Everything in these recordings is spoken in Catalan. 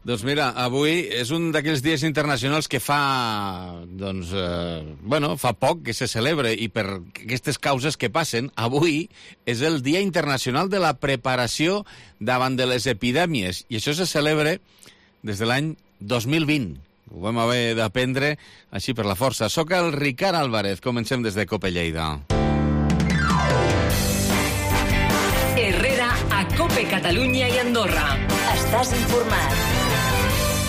Doncs mira, avui és un d'aquells dies internacionals que fa poc que se celebra, i per aquestes causes que passen, avui és el Dia Internacional de la Preparació davant de les epidèmies, i això se celebra des de l'any 2020. Ho vam haver d'aprendre així per la força. Soc el Ricard Álvarez, comencem des de Cope Lleida. Herrera a Cope Catalunya i Andorra. Estàs informat.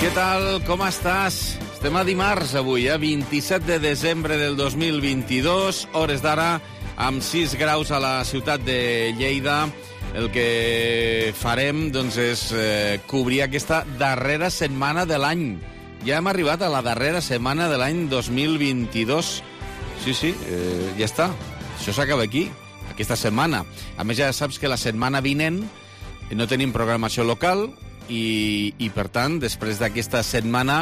Què tal? Com estàs? Estem a dimarts avui, 27 de desembre del 2022, hores d'ara, amb 6 graus a la ciutat de Lleida. El que farem doncs, és cobrir aquesta darrera setmana de l'any. Ja hem arribat a la darrera setmana de l'any 2022. Sí, ja està. Això s'acaba aquí, aquesta setmana. A més, ja saps que la setmana vinent no tenim programació local, i per tant, després d'aquesta setmana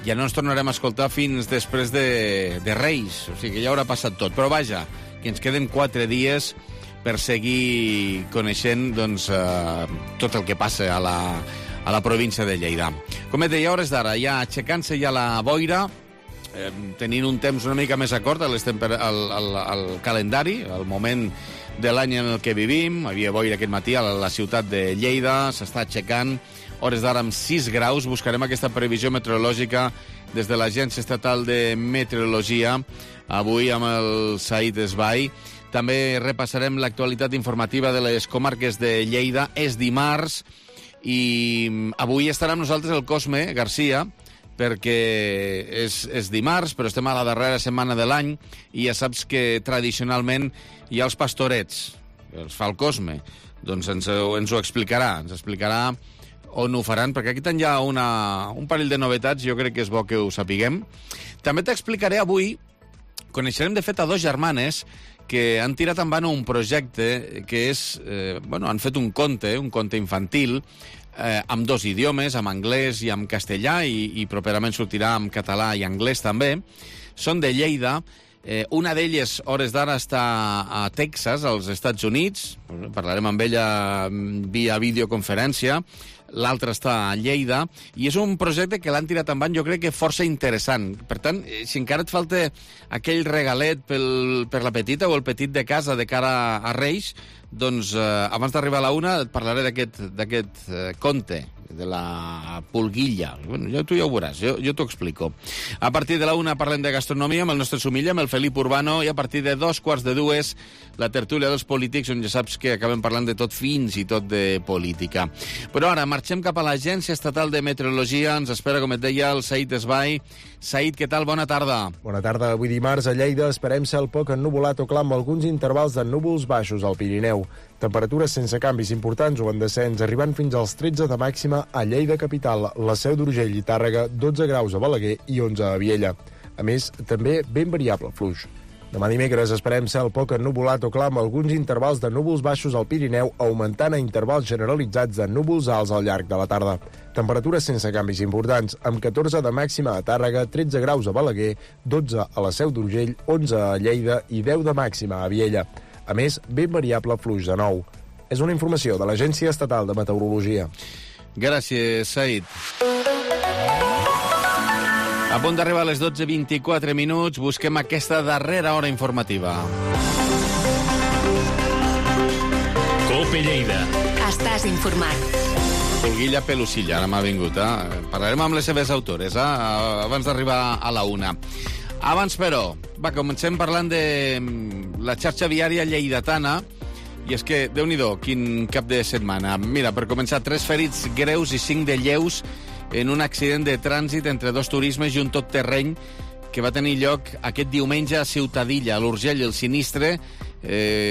ja no ens tornarem a escoltar fins després de Reis, o sigui que ja haurà passat tot. Però vaja, que ens queden 4 dies per seguir coneixent tot el que passa a la província de Lleida. Com et deia, hores d'ara, ja aixecant-se ja la boira, tenint un temps una mica més acord al calendari, al moment de l'any en el que vivim. Havia boira aquest matí a la ciutat de Lleida, s'està aixecant, hores d'ara amb 6 graus. Buscarem aquesta previsió meteorològica des de l'Agència Estatal de Meteorologia, avui amb el Said Esbai. També repassarem l'actualitat informativa de les comarques de Lleida. És dimarts i avui estarà amb nosaltres el Cosme Garcia, perquè és dimarts, però estem a la darrera setmana de l'any i ja saps que tradicionalment hi ha els pastorets, els fa el Cosme. Doncs ens ho explicarà, on ho faran, perquè aquí hi ha un parell de novetats, jo crec que és bo que ho sapiguem. També t'explicaré avui, coneixerem de fet a 2 germanes que han tirat endavant un projecte que és, han fet un conte infantil, amb 2 idiomes, amb anglès i amb castellà, i properament sortirà amb català i anglès també. Són de Lleida. Una d'elles, hores d'ara, està a Texas, als Estats Units. Parlarem amb ella via videoconferència. L'altra està a Lleida, i és un projecte que l'han tirat endavant, jo crec que força interessant. Per tant, si encara et falta aquell regalet per la petita o el petit de casa de cara a Reis, doncs abans d'arribar a la 1 et parlaré d'aquest conte, de la pulguilla. Bueno, tu ja ho veuràs, jo t'ho explico. A partir de la 1 parlem de gastronomia amb el nostre Sumilla, amb el Felip Urbano, i a partir de 2:45 la tertúlia dels polítics, on ja saps que acabem parlant de tot, fins i tot de política. Però ara marxem cap a l'Agència Estatal de Meteorologia. Ens espera, com et deia, el Said Esbai. Said, què tal? Bona tarda. Bona tarda. Avui dimarts a Lleida esperem cel poc ennuvolat o clar amb alguns intervals de núvols baixos al Pirineu. Temperatures sense canvis importants o en descens, arribant fins als 13 de màxima a Lleida capital, la Seu d'Urgell i Tàrrega, 12 graus a Balaguer i 11 a Viella. A més, també ben variable fluix. Demà dimecres esperem cel poc ennuvolat o clar amb alguns intervals de núvols baixos al Pirineu, augmentant a intervals generalitzats de núvols alts al llarg de la tarda. Temperatures sense canvis importants, amb 14 de màxima a Tàrrega, 13 graus a Balaguer, 12 a la Seu d'Urgell, 11 a Lleida i 10 de màxima a Viella. A més, ben variable fluix de nou. És una informació de l'Agència Estatal de Meteorologia. Gràcies, Said. A punt d'arribar a les 12:24 minuts, busquem aquesta darrera hora informativa. Cope Lleida. Estàs informat. Pulguilla Pelusilla, ara m'ha vingut. Parlarem amb les seves autores, abans d'arribar a la 1. Abans, però, comencem parlant de la xarxa viària lleidatana, i és que, Déu-n'hi-do, quin cap de setmana. Mira, per començar, 3 ferits greus i 5 de lleus en un accident de trànsit entre 2 turismes i un tot terreny que va tenir lloc aquest diumenge a Ciutadilla, a l'Urgell. El sinistre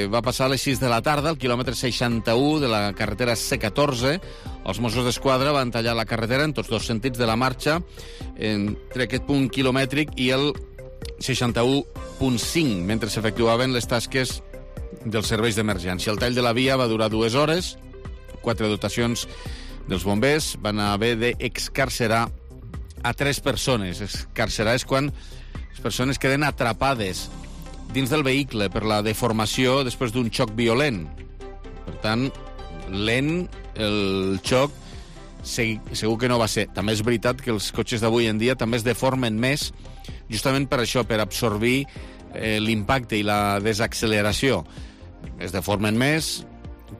va passar a les 6 de la tarda, al quilòmetre 61 de la carretera C14. Els Mossos d'Esquadra van tallar la carretera en tots 2 sentits de la marxa, entre aquest punt quilomètric i el 61.5, mentre s'efectuaven les tasques dels serveis d'emergència. El tall de la via va durar 2 hores. 4 dotacions dels bombers van haver d'excarcerar a 3 persones. Excarcerar és quan les persones queden atrapades dins del vehicle per la deformació després d'un xoc violent. Per tant, lent el xoc segur que no va ser. També és veritat que els cotxes d'avui en dia també es deformen més, justament per això, per absorbir l'impacte i la desacceleració. Es deformen més,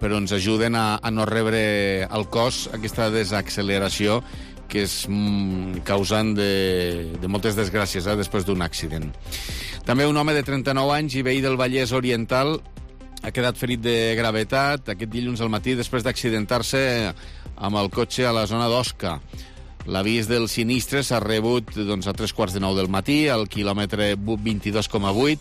però ens ajuden a no rebre al cos aquesta desacceleració que és causant de moltes desgràcies després d'un accident. També un home de 39 anys i veí del Vallès Oriental ha quedat ferit de gravetat aquest dilluns al matí després d'accidentar-se amb el cotxe a la zona d'Osca. L'avís del sinistre s'ha rebut a 3:15 del matí, al quilòmetre 22,8,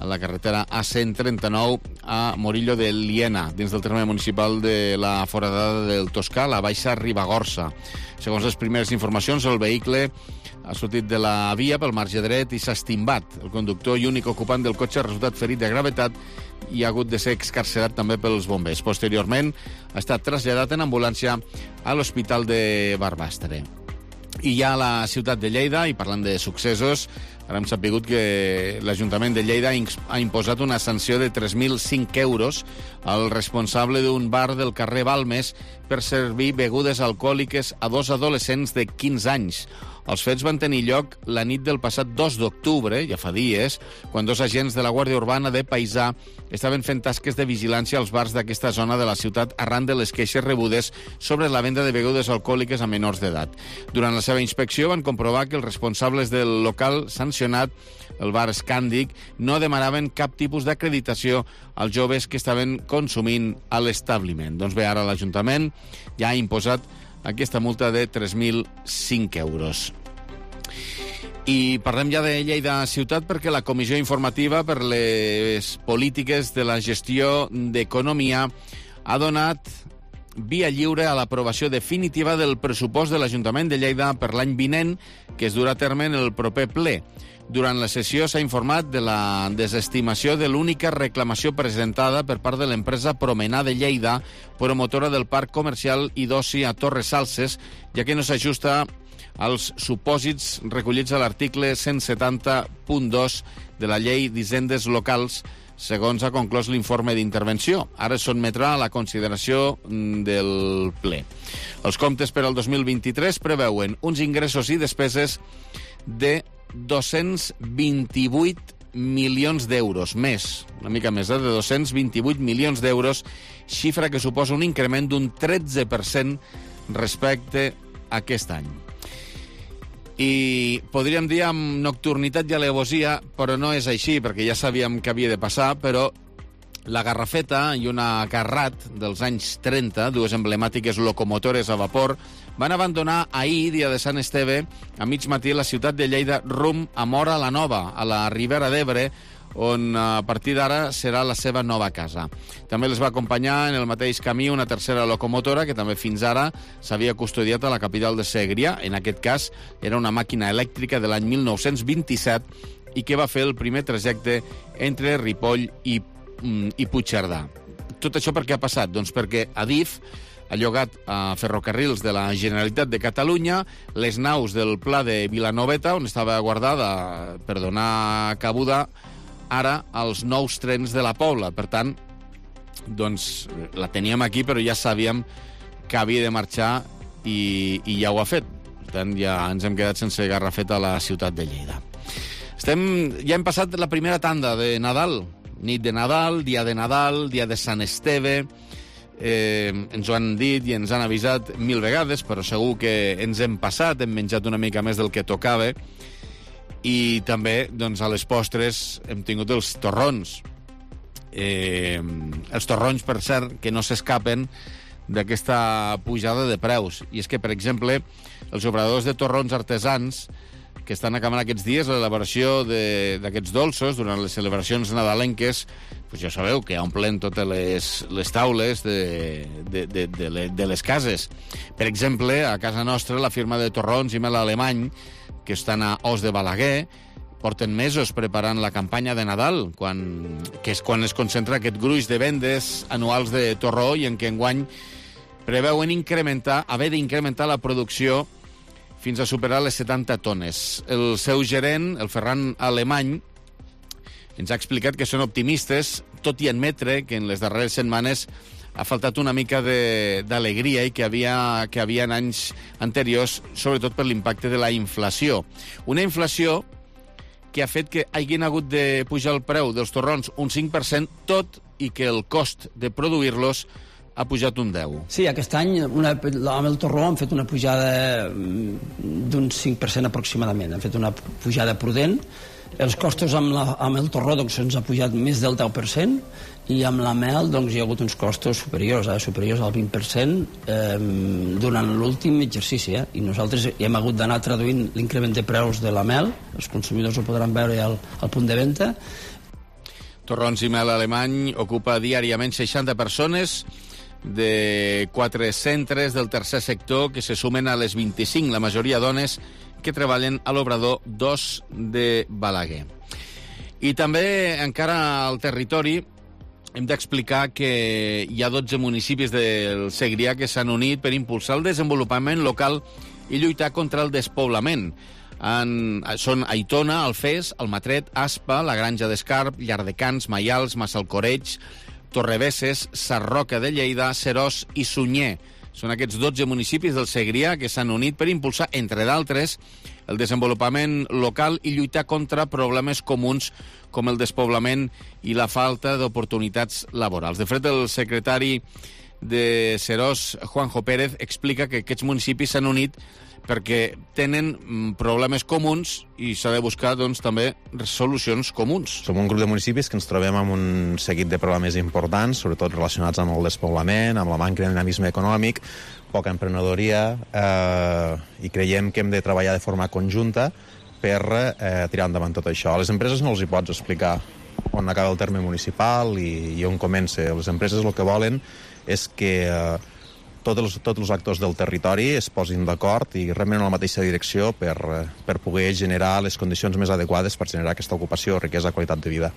a la carretera A139 a Morillo de Liena, dins del terme municipal de la Foradada del Toscà, la Baixa Ribagorça. Segons les primeres informacions, el vehicle ha sortit de la via pel marge dret i s'ha estimbat. El conductor i únic ocupant del cotxe ha resultat ferit de gravetat i ha hagut de ser excarcerat també pels bombers. Posteriorment, ha estat traslladat en ambulància a l'Hospital de Barbastre. I ja a la ciutat de Lleida, i parlant de successos, ara hem sapigut que l'Ajuntament de Lleida ha imposat una sanció de 3.005 euros al responsable d'un bar del carrer Balmes per servir begudes alcohòliques a 2 adolescents de 15 anys. Els fets van tenir lloc la nit del passat 2 d'octubre, ja fa dies, quan 2 agents de la Guàrdia Urbana de Paisà estaven fent tasques de vigilància als bars d'aquesta zona de la ciutat arran de les queixes rebudes sobre la venda de begudes alcohòliques a menors d'edat. Durant la seva inspecció van comprovar que els responsables del local sancionat, el bar Scàndic, no demanaven cap tipus d'acreditació als joves que estaven consumint a l'establiment. Doncs bé, ara l'Ajuntament ja ha imposat aquesta multa de 3.005 euros. I parlem ja de Lleida ciutat perquè la Comissió Informativa per les Polítiques de la Gestió d'Economia ha donat via lliure a l'aprovació definitiva del pressupost de l'Ajuntament de Lleida per l'any vinent, que es durà a terme en el proper ple. Durant la sessió s'ha informat de la desestimació de l'única reclamació presentada per part de l'empresa Promenar de Lleida, promotora del parc comercial i d'oci a Torres Salses, ja que no s'ajusta als supòsits recollits a l'article 170.2 de la Llei d'Hisendes Locals, segons ha conclòs l'informe d'intervenció. Ara es sotmetrà a la consideració del ple. Els comptes per al 2023 preveuen uns ingressos i despeses de 228 milions d'euros, una mica més, de 228 milions d'euros, xifra que suposa un increment d'un 13% respecte a aquest any. I podríem dir amb nocturnitat i alevosia, però no és així, perquè ja sabíem que havia de passar, però la Garrafeta i una Carrat dels anys 30, dues emblemàtiques locomotores a vapor, van abandonar ahir, dia de Sant Esteve, a mig matí la ciutat de Lleida rumb a Móra la Nova, a la Ribera d'Ebre, on a partir d'ara serà la seva nova casa. També les va acompanyar en el mateix camí una tercera locomotora que també fins ara s'havia custodiat a la capital de Segrià. En aquest cas era una màquina elèctrica de l'any 1927 i que va fer el primer trajecte entre Ripoll i Puigcerdà. Tot això per què ha passat? Doncs perquè Adif ha llogat a ferrocarrils de la Generalitat de Catalunya les naus del Pla de Vilanoveta, on estava guardada per donar cabuda ara als nous trens de la Pobla. Per tant, doncs, la teníem aquí, però ja sabíem que havia de marxar i ja ho ha fet. Per tant, ja ens hem quedat sense Garrafeta a la ciutat de Lleida. Ja hem passat la primera tanda de Nadal. Nit de Nadal, dia de Sant Esteve. Ens ho han dit i ens han avisat 1000 vegades, però segur que ens hem passat, hem menjat una mica més del que tocava. I també, doncs, a les postres hem tingut els torrons. Els torrons, per cert, que no s'escapen d'aquesta pujada de preus. I és que, per exemple, els obradors de torrons artesans que estan acabant aquests dies l'elaboració d'aquests dolços durant les celebracions nadalenques, doncs ja sabeu que omplen totes les taules de les cases. Per exemple, a casa nostra, la firma de torrons i mel alemany, que estan a Os de Balaguer, porten mesos preparant la campanya de Nadal, que és quan es concentra aquest gruix de vendes anuals de torró i en què enguany preveuen haver d'incrementar la producció fins a superar les 70 tones. El seu gerent, el Ferran Alemany, ens ha explicat que són optimistes, tot i admetre que en les darreres setmanes ha faltat una mica d'alegria i que havia en anys anteriors, sobretot per l'impacte de la inflació. Una inflació que ha fet que hagin hagut de pujar el preu dels torrons un 5%, tot i que el cost de produir-los ha pujat un 10%. Sí, aquest any amb el torró han fet una pujada d'un 5% aproximadament. Han fet una pujada prudent. Els costos amb el torró doncs, ens ha pujat més del 10%, i amb la mel doncs, hi ha hagut uns costos superiors al 20% durant l'últim exercici. I nosaltres hem hagut d'anar traduint l'increment de preus de la mel. Els consumidors ho podran veure al punt de venda. Torrons i mel alemany ocupa diàriament 60 persones de 4 centres del tercer sector que se sumen a les 25, la majoria dones, que treballen a l'Obrador 2 de Balaguer. I també, encara al territori, hem d'explicar que hi ha 12 municipis del Segrià que s'han unit per impulsar el desenvolupament local i lluitar contra el despoblament. Són Aitona, Alfés, Almatret, Aspa, la Granja d'Escarp, Llardecans, Maials, Massalcoreig, Torrebesses, Sarroca de Lleida, Seròs i Sunyer. Són aquests 12 municipis del Segrià que s'han unit per impulsar, entre d'altres, el desenvolupament local i lluitar contra problemes comuns com el despoblament i la falta d'oportunitats laborals. De fet, el secretari de Seròs, Juanjo Pérez, explica que aquests municipis s'han unit perquè tenen problemes comuns i s'ha de buscar doncs, també solucions comuns. Som un grup de municipis que ens trobem amb un seguit de problemes importants, sobretot relacionats amb el despoblament, amb la manca de dinamisme econòmic, poca emprenedoria, i creiem que hem de treballar de forma conjunta per tirar endavant tot això. A les empreses no els hi pots explicar on acaba el terme municipal i on comença. Les empreses el que volen és que tots els actors del territori es posin d'acord i remen en la mateixa direcció per poder generar les condicions més adequades per generar aquesta ocupació, riquesa, qualitat de vida.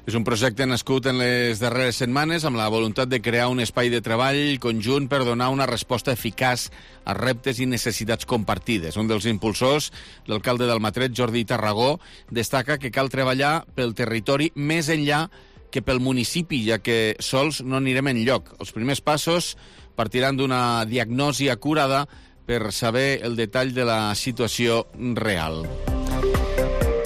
És un projecte nascut en les darreres setmanes amb la voluntat de crear un espai de treball conjunt per donar una resposta eficaç a reptes i necessitats compartides. Un dels impulsors, l'alcalde d'Almatret, Jordi Tarragó, destaca que cal treballar pel territori més enllà que pel municipi, ja que sols no anirem enlloc. Els primers passos partiran d'una diagnosi acurada per saber el detall de la situació real.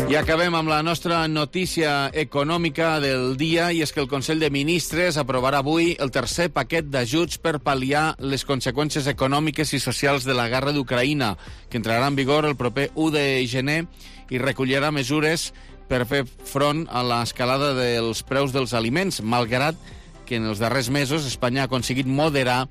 I acabem amb la nostra notícia econòmica del dia, i és que el Consell de Ministres aprovarà avui el tercer paquet d'ajuts per pal·liar les conseqüències econòmiques i socials de la guerra d'Ucraïna, que entrarà en vigor el proper 1 de gener i recollirà mesures per fer front a l'escalada dels preus dels aliments, malgrat que en els darrers mesos Espanya ha aconseguit moderar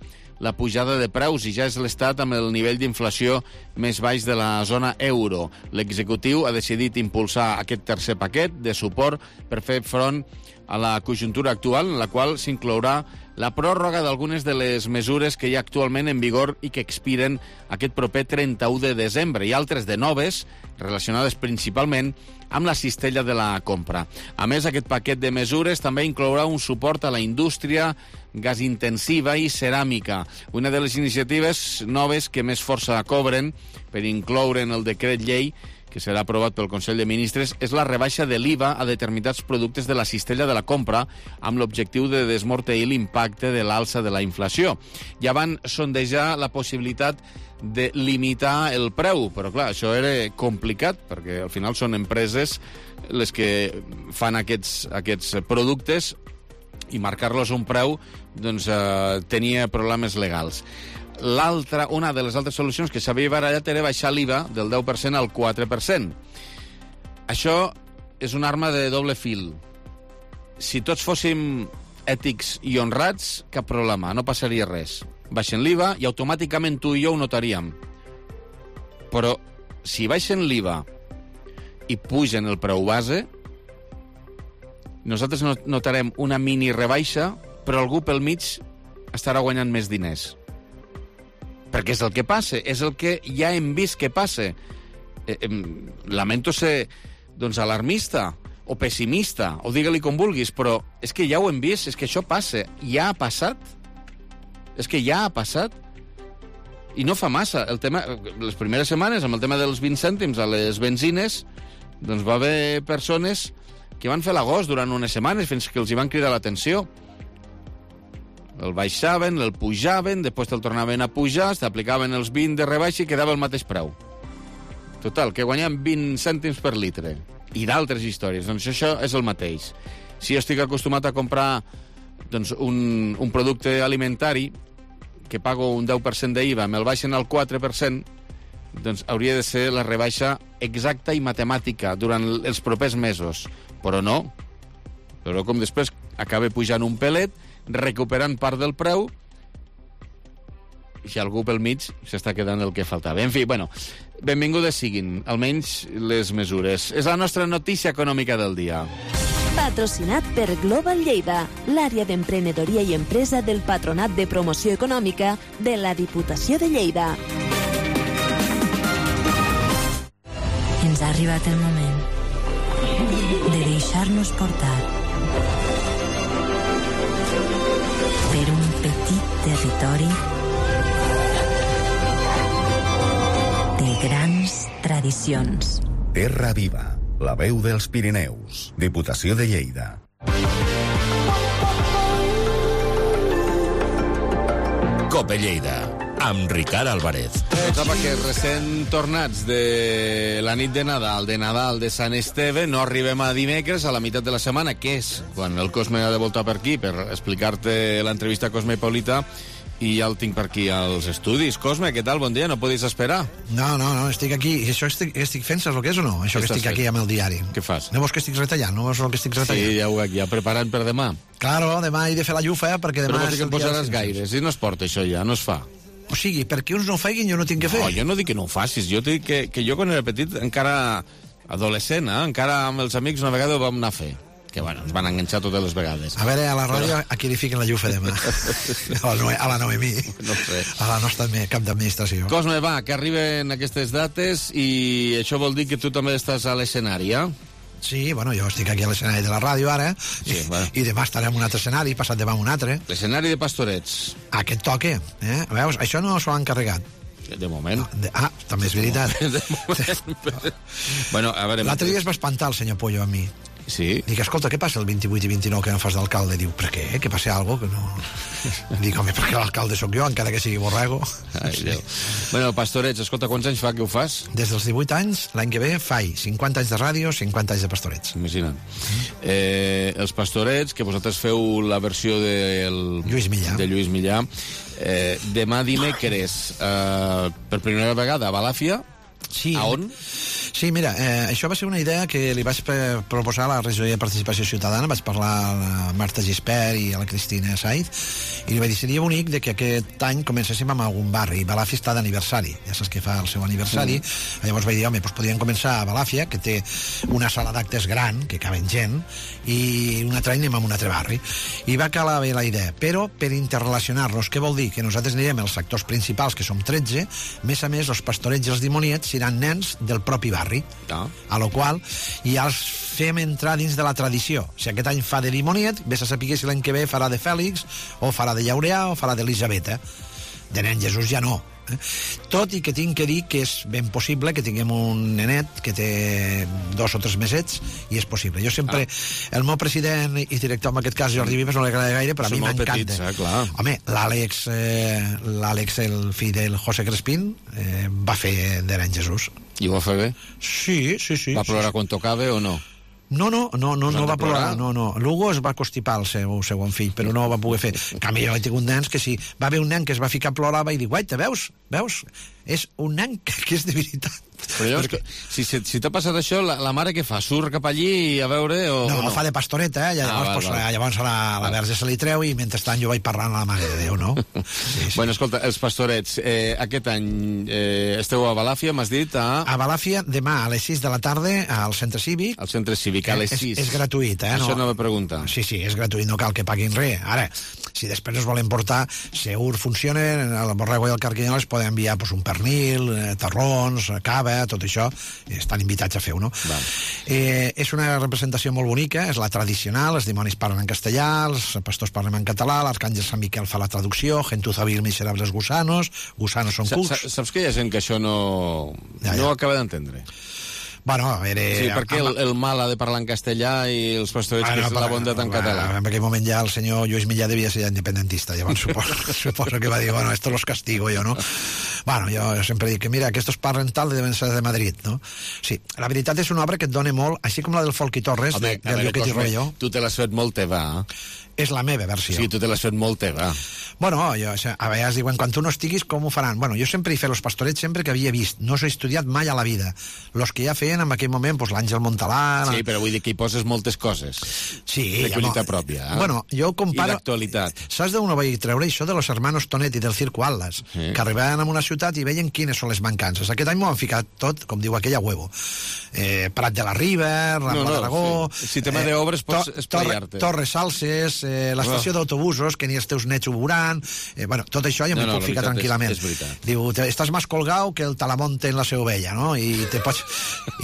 la pujada de preus i ja és l'estat amb el nivell d'inflació més baix de la zona euro. L'executiu ha decidit impulsar aquest tercer paquet de suport per fer front a la conjuntura actual, en la qual s'inclourà la pròrroga d'algunes de les mesures que hi ha actualment en vigor i que expiren aquest proper 31 de desembre, i altres de noves, relacionades principalment amb la cistella de la compra. A més, aquest paquet de mesures també inclourà un suport a la indústria gasintensiva i ceràmica. Una de les iniciatives noves que més força cobren per incloure en el decret llei que serà aprovat pel Consell de Ministres, és la rebaixa de l'IVA a determinats productes de la cistella de la compra amb l'objectiu de desmorteir l'impacte de l'alça de la inflació. Ja van sondejar la possibilitat de limitar el preu, però clar, això era complicat, perquè al final són empreses les que fan aquests productes i marcar-los un preu doncs, tenia problemes legals. Una de les altres solucions que s'havia barallat era baixar l'IVA del 10% al 4%. Això és una arma de doble fil. Si tots fóssim ètics i honrats, cap problema, no passaria res. Baixen l'IVA i automàticament tu i jo ho notaríem. Però si baixen l'IVA i pugen el preu base, nosaltres notarem una mini rebaixa, però algú pel mig estarà guanyant més diners. Perquè és el que passa, és el que ja hem vist que passa. Lamento ser alarmista o pessimista, o digue-li com vulguis, però és que ja ho hem vist, és que això passa, ja ha passat. És que ja ha passat. I no fa massa. Les primeres setmanes, amb el tema dels 20 cèntims a les benzines, doncs va haver persones que van fer l'agost durant unes setmanes fins que els hi van cridar l'atenció. El baixaven, el pujaven, després te'l tornaven a pujar, t'aplicaven els 20 de rebaixa i quedava el mateix preu. Total, que guanyem 20 cèntims per litre. I d'altres històries. Doncs això és el mateix. Si jo estic acostumat a comprar un producte alimentari que pago un 10% d'IVA, me'l baixen al 4%, doncs hauria de ser la rebaixa exacta i matemàtica durant els propers mesos. Però no. Però com després acaba pujant un pelet, recuperant part del preu, i algú pel mig s'està quedant el que faltava. En fi, bueno, benvingudes siguin, almenys les mesures. És la nostra notícia econòmica del dia. Patrocinat per Global Lleida, l'àrea d'emprenedoria i empresa del Patronat de Promoció Econòmica de la Diputació de Lleida. Ens ha arribat el moment de deixar-nos portar per un petit territori de grans tradicions. Terra Viva, la veu dels Pirineus, Diputació de Lleida. Cope Lleida, amb Ricard Álvarez. Pensava que recent tornats de la nit de Nadal de Sant Esteve, no arribem a dimecres, a la meitat de la setmana, que és quan el Cosme ha de voltar per aquí per explicar-te l'entrevista a Cosme Hipólita, i ja el tinc per aquí als estudis. Cosme, què tal? Bon dia, no podis esperar? No, estic aquí. I això estic fent, saps el que és o no? Això que estic aquí amb el diari. Què fas? No veus que estic retallant? No veus el que estic retallant? Sí, ja ho veig, ja preparant per demà. Claro, demà he de fer la llufa, perquè demà... Però vols dir que em posaràs gaire, si no es porta això ja, no es fa. O sigui, perquè uns no ho feguin, jo no tinc que fer. No, jo no dic que no ho facis, jo dic que jo quan era petit, encara adolescent, encara amb els amics una vegada ho vam anar a fer. Que, bueno, ens van enganxar totes les vegades. A veure, a la ràdio, a qui li fiquen la llufa demà? A la Noemí. No sé. A la nostra cap d'administració. Cosme, va, que arriben aquestes dates i això vol dir que tu també estàs a l'escenari, eh? Sí, bueno, jo estic aquí a l'escenari de la ràdio ara, sí, bueno. I demà estarem en un altre escenari, passat demà en un altre. L'escenari de Pastorets. Aquest toque, Veus, això no s'ho han encarregat. De moment. També és veritat. De moment. Bueno, a veure... L'altre dia es va espantar el senyor Pollo a mi. Sí. Dic, escolta, què passa el 28 i 29 que em fas d'alcalde? Diu, per què? Que passa alguna cosa? Que no... Dic, home, perquè l'alcalde sóc jo, encara que sigui borrego. Ai, sí. Bueno, Pastorets, escolta, quants anys fa que ho fas? Des dels 18 anys, l'any que ve, faig 50 anys de ràdio, 50 anys de Pastorets. Imagina't. Els Pastorets, que vosaltres feu la versió del... Lluís Millà. De Lluís Millà. Demà dimecres, per primera vegada, a Balàfia. Sí. A on? Sí, mira, això va ser una idea que li vaig proposar a la regidoria de Participació Ciutadana. Vaig parlar a la Marta Gispert i a la Cristina Saiz i li vaig dir, seria bonic de que aquest any comencéssim amb algun barri. Balàfia està d'aniversari, ja saps que fa el seu aniversari. Llavors vaig dir, home, doncs podríem començar a Balàfia, que té una sala d'actes gran, que caben gent, i un altre any anem a un altre barri. I va calar bé la idea, però per interrelacionar-los, què vol dir? Que nosaltres anirem als sectors principals, que som 13, més a més, els Pastorets i els Dimoniets seran nens del propi barri. A lo qual ja els fem entrar dins de la tradició. Si aquest any fa de Dimoniet, vés a saber si l'any que ve farà de Fèlix, o farà de Llaureà, o farà d'Elisabeta. De nen Jesús ja no. Tot i que tinc que dir que és ben possible que tinguem un nenet que té 2 o 3 mesets i és possible. Jo sempre, el meu president i director en aquest cas, Jordi Vives, no li agrada gaire, però a mi m'encanta. Home, l'Àlex, el fill del José Crespín, va fer de nen Jesús. I ho va fer bé? Sí. Va plorar quan tocava o no? No va plorar, no. L'Hugo es va constipar el seu segon fill, però no ho va poder fer. En canvi, jo he tingut nens que si va haver un nen que es va ficar a plorar, i dir, guaita, veus? És un nen que és de veritat. Però llavors, si t'ha passat això, la mare què fa? Surt cap allí a veure o no? Fa de pastoreta, llavors a la verge se li treu i mentrestant jo vaig parlant a la Mare de Déu, no? Sí. Bueno, escolta, els Pastorets, aquest any esteu a Balàfia, m'has dit? A Balàfia, demà a les 6 de la tarda al Centre Cívic. Al Centre Cívic, a les 6. És gratuït, Això no me pregunta. Sí, és gratuït, no cal que paguin res. Ara, si després es volen portar, segur funciona, el Borrego i el Carquinyol es poden enviar un pernil, torrons, cava, tot això, estan invitats a fer-ho, no? És una representació molt bonica, és la tradicional, els dimonis parlen en castellà, els pastors parlen en català, l'arcàngel Sant Miquel fa la traducció, gentuza vil miserables gusanos són cucs. Saps que hi ha gent que això no acaba d'entendre? Bueno, Sí, perquè el mal ha de parlar en castellà i els pastorets que és la bondat en català. En aquell moment ja el senyor Lluís Millà devia ser independentista, llavors suposo que va dir, bueno, esto los castigo yo, ¿no? Bueno, jo sempre dic que, mira, aquestos parlen tal, deben ser de Madrid, no? Sí, la veritat és una obra que et dona molt, així com la del Folchi Torres, del Lloquet i Royo. Tu te l'has fet molt teva, És la meva versió. Sí, tu te l'has fet molt teva. Bueno, a vegades diuen, quan tu no estiguis, com ho faran? Bueno, jo sempre he fet els pastorets sempre que havia vist. No s'ha estudiat mai a la vida. Los que ja feien en aquell moment, pues, l'Àngel Montalà... Sí, però vull dir que hi poses moltes coses. Sí. De collita pròpia. Bueno, jo comparo... I d'actualitat. Saps d'on ho vaig treure, això de los hermanos Tonetti del Circo Atlas? Sí. Que arribaven a una ciutat i veien quines són les mancances. Aquest any m'ho han ficat tot, com diu aquella huevo. Prat de la Riba, Rambla d'Aragó... Sí. Si tema d'obres pots esplaiar-te. Torres Salses, l'estació d'autobusos, que ni els teus nets ho veuran... bueno, tot això ja m'ho puc ficar tranquil·lament. Diu, estàs més colgau que el Talamonte en la seva ovella, no? I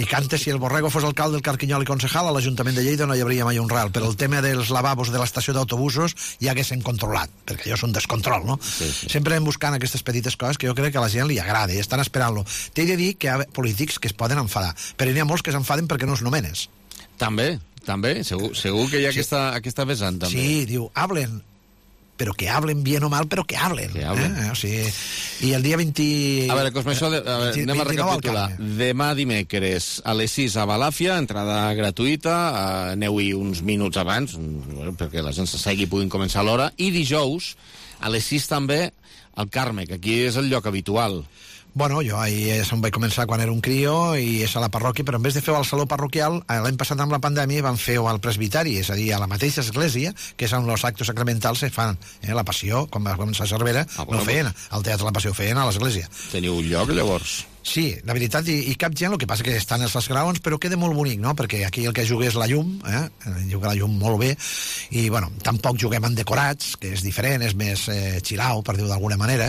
cantes, si el Borrego fos alcalde del Carquinyol i concejal, a l'Ajuntament de Lleida no hi hauria mai un ral, però el tema dels lavabos de l'estació d'autobusos ja haguéssim controlat, perquè allò és un descontrol, no? Sí. Sempre hem buscant aquestes petites coses que jo crec que a la gent li agrada i estan esperant-lo. T'he de dir que hi ha polítics que es poden enfadar, però n'hi ha molts que s'enfaden perquè no els nomenes. També, segur que hi ha aquesta vessant, també. Sí, diu, hablen, però que hablen bien o mal, però que hablen. O sigui, i el dia 20... A veure, Cosme, anem a recapitular. Demà dimecres a les 6 a Balàfia, entrada gratuïta, aneu-hi uns minuts abans, perquè la gent s'assegui i puguin començar a l'hora, i dijous, a les 6 també, al Carme, que aquí és el lloc habitual. Bueno, jo ahir se'm vaig començar quan era un crio i és a la parròquia, però en vez de fer-ho al saló parroquial, l'any passat amb la pandèmia van fer-ho al presbiteri, és a dir, a la mateixa església, que és on els actes sacramentals se fan. La Passió, quan va començar a Cervera, no feien al Teatre La Passió, feien a l'església. Teniu un lloc, llavors? Sí, la veritat, i cap gent, el que passa que estan els graons, però queda molt bonic, no? Perquè aquí el que juga és la llum, juga la llum molt bé, i, bueno, tampoc juguem en decorats, que és diferent, és més xilau, per dir-ho d'alguna manera,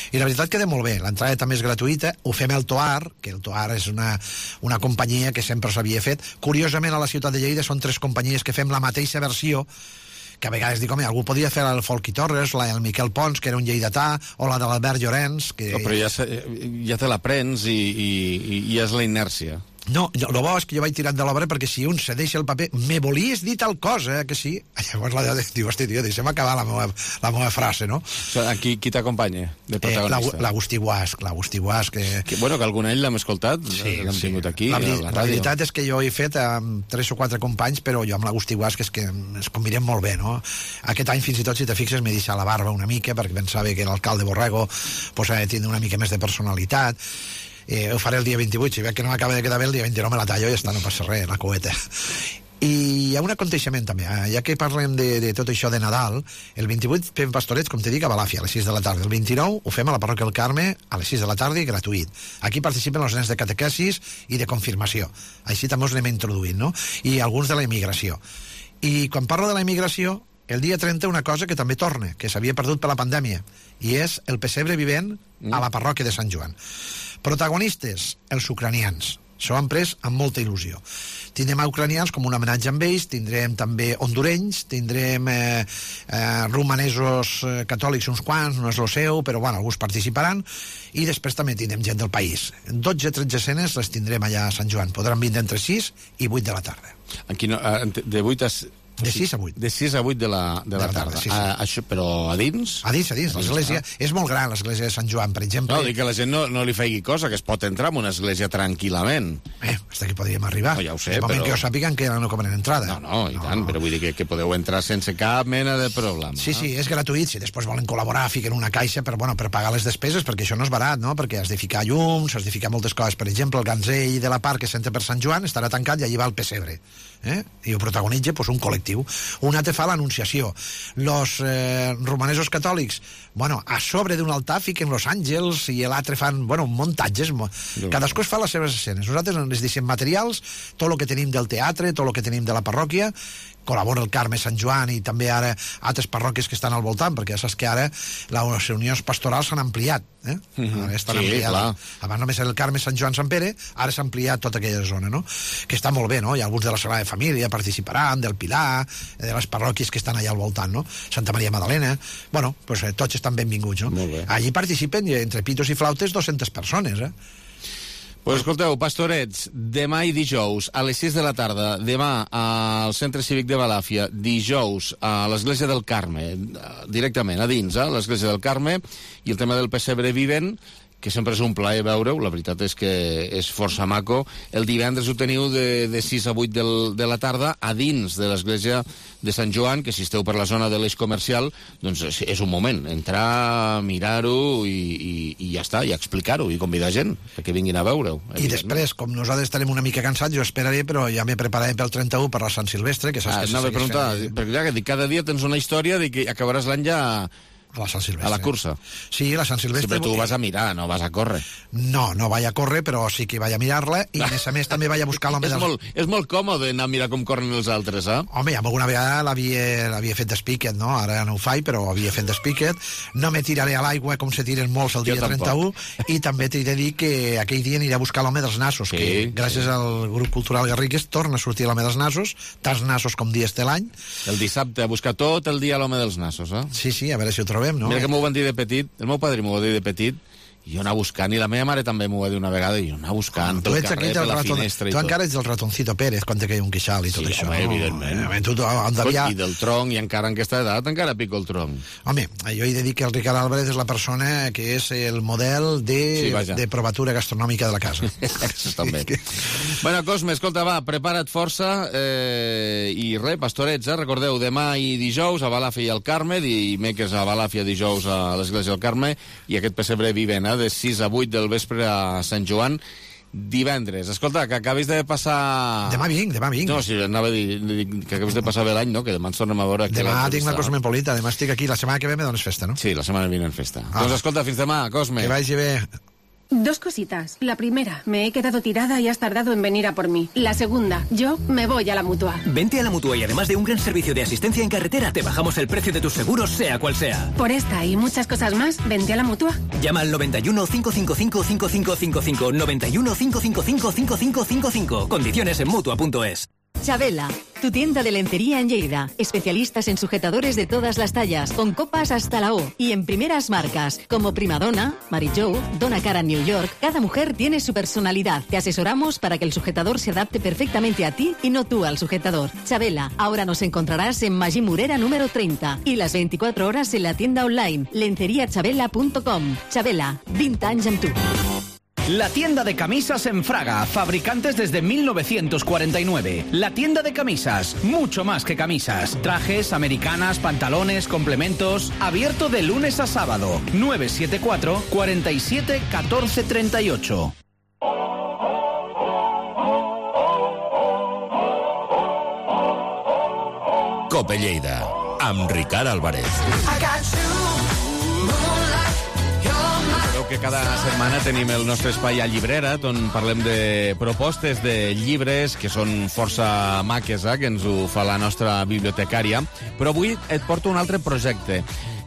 i la veritat queda molt bé. L'entrada també és gratuïta, ho fem al Toar, que el Toar és una companyia que sempre s'havia fet. Curiosament, a la ciutat de Lleida són 3 companyies que fem la mateixa versió, que a vegades dic, home, algú podria fer el Folchi Torres, el Miquel Pons, que era un lleidatà, o la de l'Albert Llorenç, que... No, però ja te la prens i és la inèrcia. No, el bo és que jo vaig tirant de l'obra perquè si un se deixa el paper, me volies dir tal cosa, que sí? Llavors diu, hosti, tio, deixa'm acabar la meva frase, no? Qui t'acompanya de protagonista? L'Agustí Guasc, que... Bueno, que algun any l'hem escoltat, l'hem tingut aquí, a la ràdio. La veritat és que jo he fet amb 3 o 4 companys, però jo amb l'Agustí Guasc és que ens combinem molt bé, no? Aquest any, fins i tot, si te fixes, m'he deixat la barba una mica, perquè pensava que l'alcalde Borrego pues, ha de tindre una mica més de personalitat. Ho faré el dia 28, si veig que no m'acaba de quedar bé, el dia 29 me la tallo i ja està, no passa res, la coeta. I hi ha un aconteixement també, ja que parlem de tot això de Nadal, el 28 fem pastorets, com te dic, a Balàfia, a les 6 de la tarda. El 29 ho fem a la parròquia del Carme a les 6 de la tarda i gratuït. Aquí participen els nens de catequesis i de confirmació. Així també us anem introduint, no? I alguns de la immigració. I quan parlo de la immigració, el dia 30 una cosa que també torna, que s'havia perdut per la pandèmia, i és el pessebre vivent a la parròquia de Sant Joan. Protagonistes, els ucranians. S'ho han pres amb molta il·lusió. Tindrem a ucranians com un homenatge amb ells, tindrem també hondurenys, tindrem romanesos catòlics uns quants, no és el seu, però bueno, alguns participaran, i després també tindrem gent del país. 12-13 escenes les tindrem allà a Sant Joan. Podran vindre entre 6 i 8 de la tarda. De 8 a... De 6 a 8. De 6 a 8 de la tarda. Sí. Això, però a dins? A dins. L'església és molt gran, l'església de Sant Joan, per exemple. No, dic que la gent no li faci cosa, que es pot entrar en una església tranquil·lament. Fins aquí podríem arribar. No, ja ho sé, però... que ho sàpiguen que no cobren entrada. No, i tant, però vull dir que podeu entrar sense cap mena de problema. Sí, és gratuït, si després volen col·laborar, fiquen una caixa per pagar les despeses, perquè això no és barat, no? Perquè has de ficar llums, has de ficar moltes coses. Per exemple, el ganzell de la part que s'entra per Sant Joan estarà tancat i allí va el pessebre. I ho protagonitza un col·lectiu. Un altre fa l'anunciació. Los romanesos catòlics, a sobre d'un altar fiquen los àngels i l'altre fan, muntatges. Cadascú es fa les seves escenes. Nosaltres ens deixem materials, tot el que tenim del teatre, tot el que tenim de la parròquia, col·labora el Carme Sant Joan i també ara altres parròquies que estan al voltant, perquè ja saps que ara les reunions pastorals s'han ampliat. Estan ampliades. Abans només era el Carme Sant Joan Sant Pere, ara s'ha ampliat tota aquella zona, no? Que està molt bé, no? Hi ha alguns de la Sagrada Família participaran, del Pilar, de les parròquies que estan allà al voltant, no? Santa Maria Magdalena. Tots estan benvinguts, no? Allí participen, entre pitos i flautes, 200 persones, Pues escolteu, pastorets, demà i dijous a les 6 de la tarda, demà al Centre Cívic de Balàfia, dijous a l'Església del Carme, directament a dins, l'Església del Carme, i el tema del pessebre vivent, que sempre és un plaer veure-ho, la veritat és que és força maco. El divendres ho teniu de 6 a 8 de la tarda a dins de l'església de Sant Joan, que si esteu per la zona de l'eix comercial, doncs és un moment, entrar, mirar-ho i ja està, i explicar-ho, i convidar gent perquè vinguin a veure-ho. I després, com nosaltres estarem una mica cansats, jo esperaré, però ja m'he preparat pel 31 per la Sant Silvestre, que saps que anava a preguntar, perquè ja que dic, cada dia tens una història de que acabaràs l'any ja a la Sant Silvestre. A la cursa. Sí, la Sant Silvestre. Sí, però tu vas a mirar, no vas a córrer. No vaig a córrer, però sí que vaig a mirar-la, i a més també vaig a buscar l'home dels... És molt còmode anar a mirar com corren els altres, eh? Home, ja alguna vegada l'havia fet d'espíquet, no? Ara no ho faig, però havia fet d'espíquet. No me tiraré a l'aigua com se tiren molts el dia 31, i també t'he de dir que aquell dia aniré a buscar l'home dels nassos, que gràcies al grup cultural Garrigues torna a sortir l'home dels nassos, tants nassos com dies té l'any. El dissabte, a buscar tot el dia l'home dels nassos, eh? Sí, a veure si ho trobem, no? Mira que m'ho van dir de petit, el meu padre m'ho va dir de petit, i jo anar buscant, i la meva mare també m'ho va dir una vegada, i jo anar buscant pel carrer, per la finestra i tot. Tu encara ets el ratoncito Pérez quan te caia un queixal i tot això. Home, evidentment. I del tronc, i encara en aquesta edat, encara pico el tronc. Home, jo he de dir que el Ricard Álvarez és la persona que és el model de provatura gastronòmica de la casa. Això també. Bueno, Cosme, escolta, va, prepara't força, i res, pastorets, recordeu, demà i dijous a Balàfia i al Carme, dimecres a Balàfia, dijous a l'Església del Carme, i aquest pessebre vivent, de 6 a 8 del vespre a Sant Joan, divendres. Escolta, que acabis de passar... Demà vinc. No, si anava a dir que acabis de passar bé l'any, no? Que demà ens tornem a veure... Demà tinc la Cosmopolita, demà estic aquí, la setmana que ve me dones festa, no? Sí, la setmana vinent festa. Doncs escolta, fins demà, Cosme. Que vagi bé. Dos cositas. La primera, me he quedado tirada y has tardado en venir a por mí. La segunda, yo me voy a la Mutua. Vente a la Mutua y además de un gran servicio de asistencia en carretera, te bajamos el precio de tus seguros, sea cual sea. Por esta y muchas cosas más, vente a la Mutua. Llama al 91 555 5555, 91 555 5555. Condiciones en Mutua.es. Chabela, tu tienda de lencería en Lleida. Especialistas en sujetadores de todas las tallas, con copas hasta la O y en primeras marcas, como Primadonna, Mary Jo, Donna Cara New York. Cada mujer tiene su personalidad. Te asesoramos para que el sujetador se adapte perfectamente a ti y no tú al sujetador. Chabela, ahora nos encontrarás en Magí Morera número 30 y las 24 horas en la tienda online lenceriachabela.com. Chabela, 20 anys amb tu. La tienda de camisas en Fraga, fabricantes desde 1949. La tienda de camisas, mucho más que camisas. Trajes, americanas, pantalones, complementos. Abierto de lunes a sábado. 974 47 14 38. Cope Lleida, amb Ricard Álvarez. Que cada setmana tenim el nostre espai a Llibrera, on parlem de propostes de llibres que són força maques, que ens ho fa la nostra bibliotecària. Però avui et porto un altre projecte.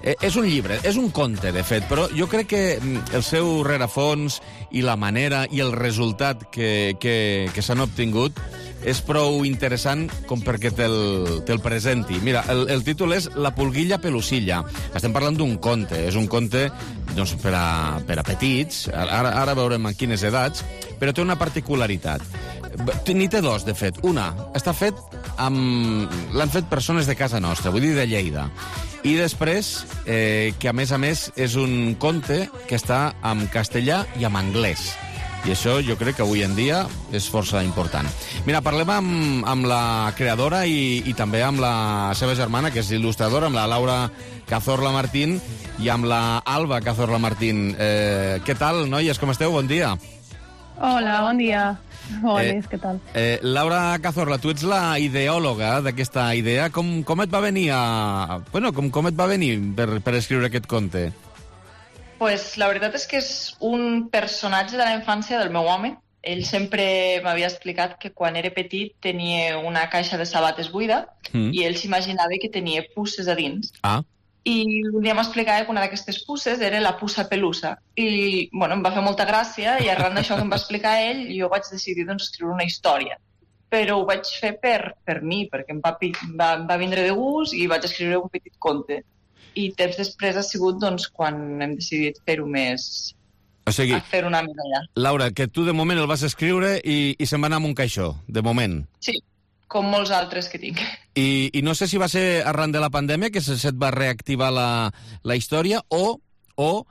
És un llibre, és un conte, de fet, però jo crec que el seu rerefons i la manera i el resultat que s'han obtingut és prou interessant com perquè te'l presenti. Mira, el títol és La pulguilla pelusilla. Estem parlant d'un conte. És un conte doncs, per a petits. Ara veurem en quines edats, però té una particularitat. N'hi té dos, de fet. Una, està fet l'han fet persones de casa nostra, vull dir de Lleida. I després, que a més és un conte que està en castellà i en anglès. I això jo crec que avui en dia és força important. Mira, parlem amb la creadora i també amb la seva germana, que és il·lustradora, amb la Laura Cazorla Martín i amb la Alba Cazorla Martín. Què tal, noies? Com esteu? Bon dia. Hola, bon dia. Hola, què tal? Laura Cazorla, tu ets la ideòloga d'aquesta idea. Com et va venir com et va venir per escriure aquest conte? Pues la veritat és que és un personatge de la infància del meu home. Ell sempre m'havia explicat que quan era petit tenia una caixa de sabates buida i ell s'imaginava que tenia pusses a dins. I un dia m'explicava que una d'aquestes pusses era la pussa pelusa. I em va fer molta gràcia i arran d'això que em va explicar ell jo vaig decidir escriure una història. Però ho vaig fer per mi, perquè em va vindre de gust i vaig escriure un petit conte. I temps després ha sigut quan hem decidit fer-ho més O sigui, a fer una medalla. Laura, que tu de moment el vas escriure i se'n va anar amb un caixó, de moment. Sí, com molts altres que tinc. I no sé si va ser arran de la pandèmia que se't va reactivar la història o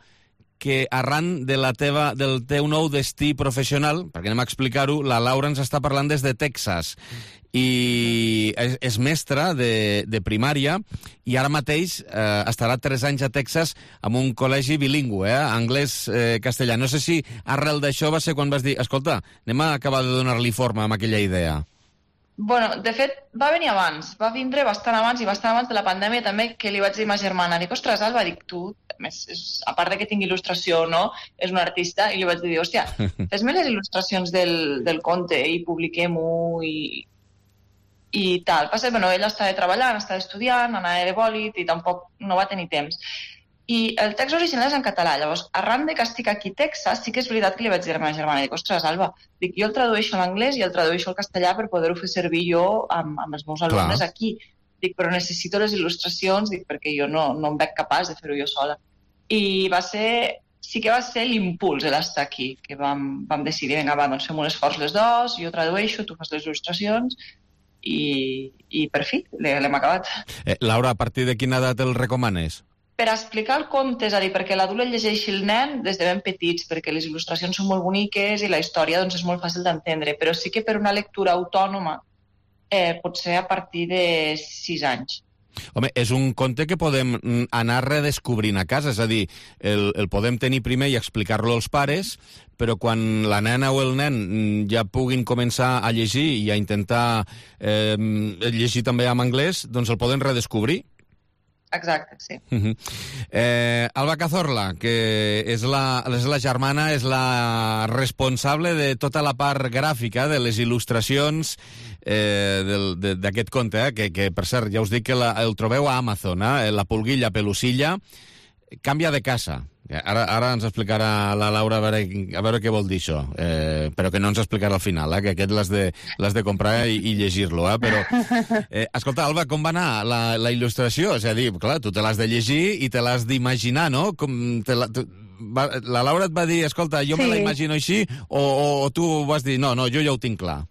que arran de del teu nou destí professional, perquè anem a explicar-ho, la Laura ens està parlant des de Texas i és mestra de primària i ara mateix estarà 3 anys a Texas amb un col·legi bilingüe, anglès-castellà. No sé si arrel d'això va ser quan vas dir escolta, anem a acabar de donar-li forma amb aquella idea. Bueno, de fet, va venir abans, va vindre bastant abans i bastant abans de la pandèmia també, que li vaig dir a ma germana, dic, ostres, Alba, dic, tu, a part de que tingui il·lustració, no?, és un artista, i li vaig dir, hòstia, fes-me les il·lustracions del conte i publiquem-ho i tal. Passa, bueno, ella estava treballant, estava estudiant, anava de bòlit i tampoc no va tenir temps. I el text original és en català, llavors, arran de que estic aquí a Texas, sí que és veritat que li vaig dir a la meva germana, dic, ostres, Alba, dic, jo el tradueixo a l'anglès i el tradueixo al castellà per poder-ho fer servir jo amb els meus alumnes aquí. Dic, però necessito les il·lustracions, dic, perquè jo no em veig capaç de fer-ho jo sola. I sí que va ser l'impuls d'estar aquí, que vam decidir, vinga, va, doncs fem un esforç les dos, jo tradueixo, tu fas les il·lustracions, i per fi, l'hem acabat. Laura, a partir de quina edat el recomanes? Per explicar el conte, és a dir, perquè l'adult el llegeixi el nen des de ben petits, perquè les il·lustracions són molt boniques i la història doncs, és molt fàcil d'entendre, però sí que per una lectura autònoma pot ser a partir de 6 anys. Home, és un conte que podem anar redescobrint a casa, és a dir, el podem tenir primer i explicar-lo als pares, però quan la nena o el nen ja puguin començar a llegir i a intentar llegir també en anglès, doncs el poden redescobrir. Exacte, sí. Alba Cazorla, que és la germana, és la responsable de tota la part gràfica de les il·lustracions d'aquest conte, que per cert, ja us dic que el trobeu a Amazon, La pulguilla pelusilla, canvia de casa. Ara ens explicarà la Laura a veure què vol dir això, però que no ens explicarà al final, que aquest l'has de comprar i llegir-lo. Però, escolta, Alba, com va anar la il·lustració? És a dir, clar, tu te l'has de llegir i te l'has d'imaginar, no? La Laura et va dir, escolta, jo me la imagino així, o tu vas dir, no, jo ja ho tinc clar?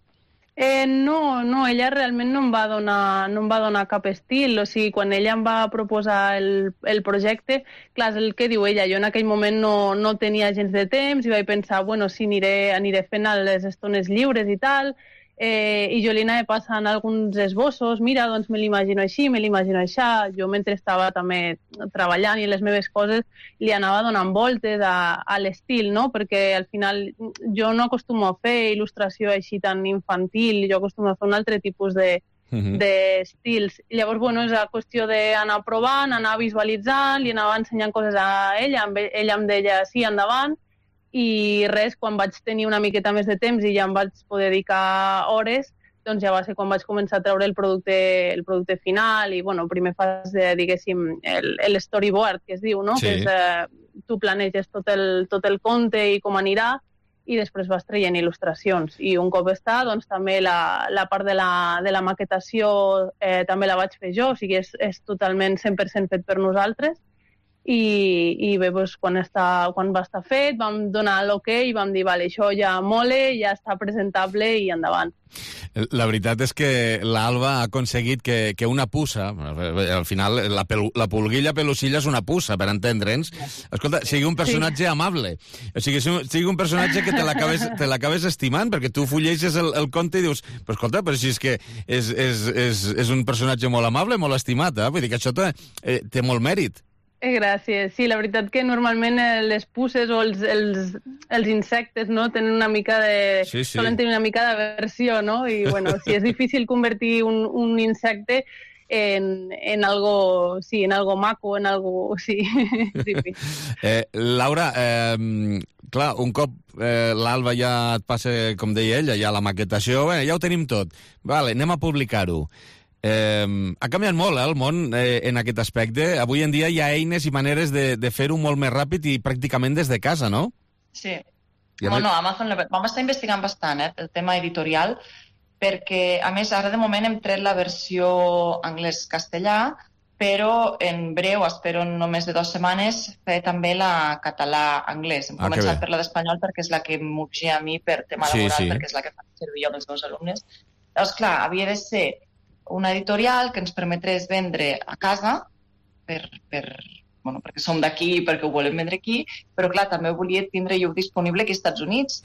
No, ella realment no em va donar cap estil, o sigui, quan ella em va proposar el projecte, clar, és el que diu ella, jo en aquell moment no tenia gens de temps i vaig pensar, bueno, sí, aniré fent les estones lliures i tal, i jo li anava passant alguns esbossos, mira, doncs me l'imagino així, me l'imagino aixà, jo mentre estava també treballant i les meves coses li anava donant voltes a l'estil, no? Perquè al final jo no acostumo a fer il·lustració així tan infantil, jo acostumo a fer un altre tipus d'estils. Llavors, bueno, és la qüestió d'anar provant, anar visualitzant, li anava ensenyant coses a ella, ella em deia sí, endavant, i res, quan vaig tenir una miqueta més de temps i ja em vaig poder dedicar hores, doncs ja va ser quan vaig començar a treure el producte final i, bueno, primer fas, diguéssim, l'storyboard, que es diu, no? Sí. Que és, tu planeges tot el conte i com anirà i després vas traient il·lustracions. I un cop està, doncs també la part de la maquetació també la vaig fer jo, o sigui, és totalment 100% fet per nosaltres. I bé, doncs, quan va estar fet vam donar l'ok i vam dir, vale, això ja mole, ja està presentable i endavant. La veritat és que l'Alba ha aconseguit que una puça, al final la pulguilla pelusilla és una puça, per entendre'ns, escolta, sigui un personatge amable, o sigui, sigui un personatge que te l'acabes estimant, perquè tu fulleges el conte i dius, però escolta, però si és que és un personatge molt amable, molt estimat, vull dir que això té molt mèrit. Gràcies. Sí, la veritat que normalment les puces o els insectes, no, tenen una mica de... Sí. Solen tenir una mica d'aversió, no? I, bueno, sí, és difícil convertir un insecte en algo, sí, en algo maco, en algo... Sí, és difícil. Laura, clar, un cop l'Alba ja et passa, com deia ella, ja la maquetació, ja ho tenim tot. Vale, anem a publicar-ho. Ha canviat molt el món en aquest aspecte. Avui en dia hi ha eines i maneres de fer-ho molt més ràpid i pràcticament des de casa, no? Sí. Bueno, Amazon vam estar investigant bastant el tema editorial, perquè, a més, ara de moment hem tret la versió anglès-castellà però en breu, espero no més de 2 setmanes, fer també la català-anglès. Hem començat per la d'espanyol perquè és la que m'urgia a mi per tema laboral, perquè és la que fa servir jo amb els meus alumnes. Llavors, clar, havia de ser una editorial que ens permetés vendre a casa, perquè som d'aquí i perquè ho volem vendre aquí, però clar, també volia tindre jo disponible aquí als Estats Units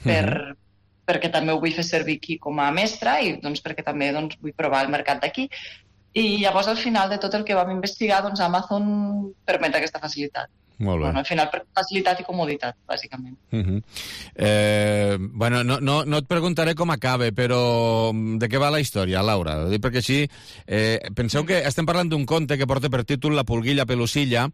perquè també ho vull fer servir aquí com a mestra i doncs, perquè també vull provar el mercat d'aquí. I llavors, al final de tot el que vam investigar, doncs Amazon permet aquesta facilitat. Molt bé. Al final, per facilitat i comoditat, bàsicament. Bueno, no et preguntaré com acaba, però de què va la història, Laura? Perquè així, penseu que estem parlant d'un conte que porta per títol La pulguilla pelusilla,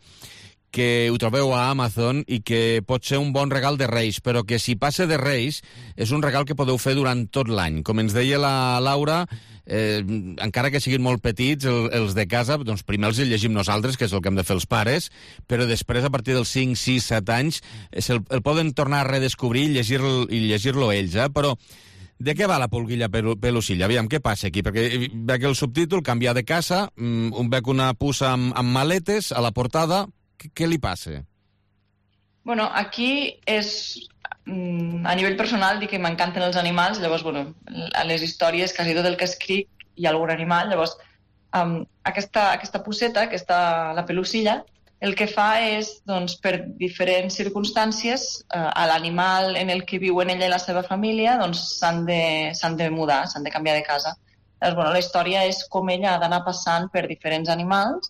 que ho trobeu a Amazon i que pot ser un bon regal de Reis, però que si passa de Reis és un regal que podeu fer durant tot l'any. Com ens deia la Laura, encara que siguin molt petits, els de casa, doncs primer els llegim nosaltres, que és el que hem de fer els pares, però després, a partir dels 5, 6, 7 anys, el poden tornar a redescobrir i llegir-lo ells, Però de què va la pulguilla pelusilla? Aviam, què passa aquí? Perquè veig el subtítol, canviar de casa, veig una puça amb maletes a la portada. Què li passa? Bueno, aquí és... a nivell personal, dic que m'encanten els animals, llavors, a les històries, quasi tot el que escric, hi ha algun animal, llavors, aquesta puceta, la pelusilla, el que fa és, doncs, per diferents circumstàncies, a l'animal en el que viuen ella i la seva família, doncs, s'han de mudar, s'han de canviar de casa. Llavors, la història és com ella ha d'anar passant per diferents animals,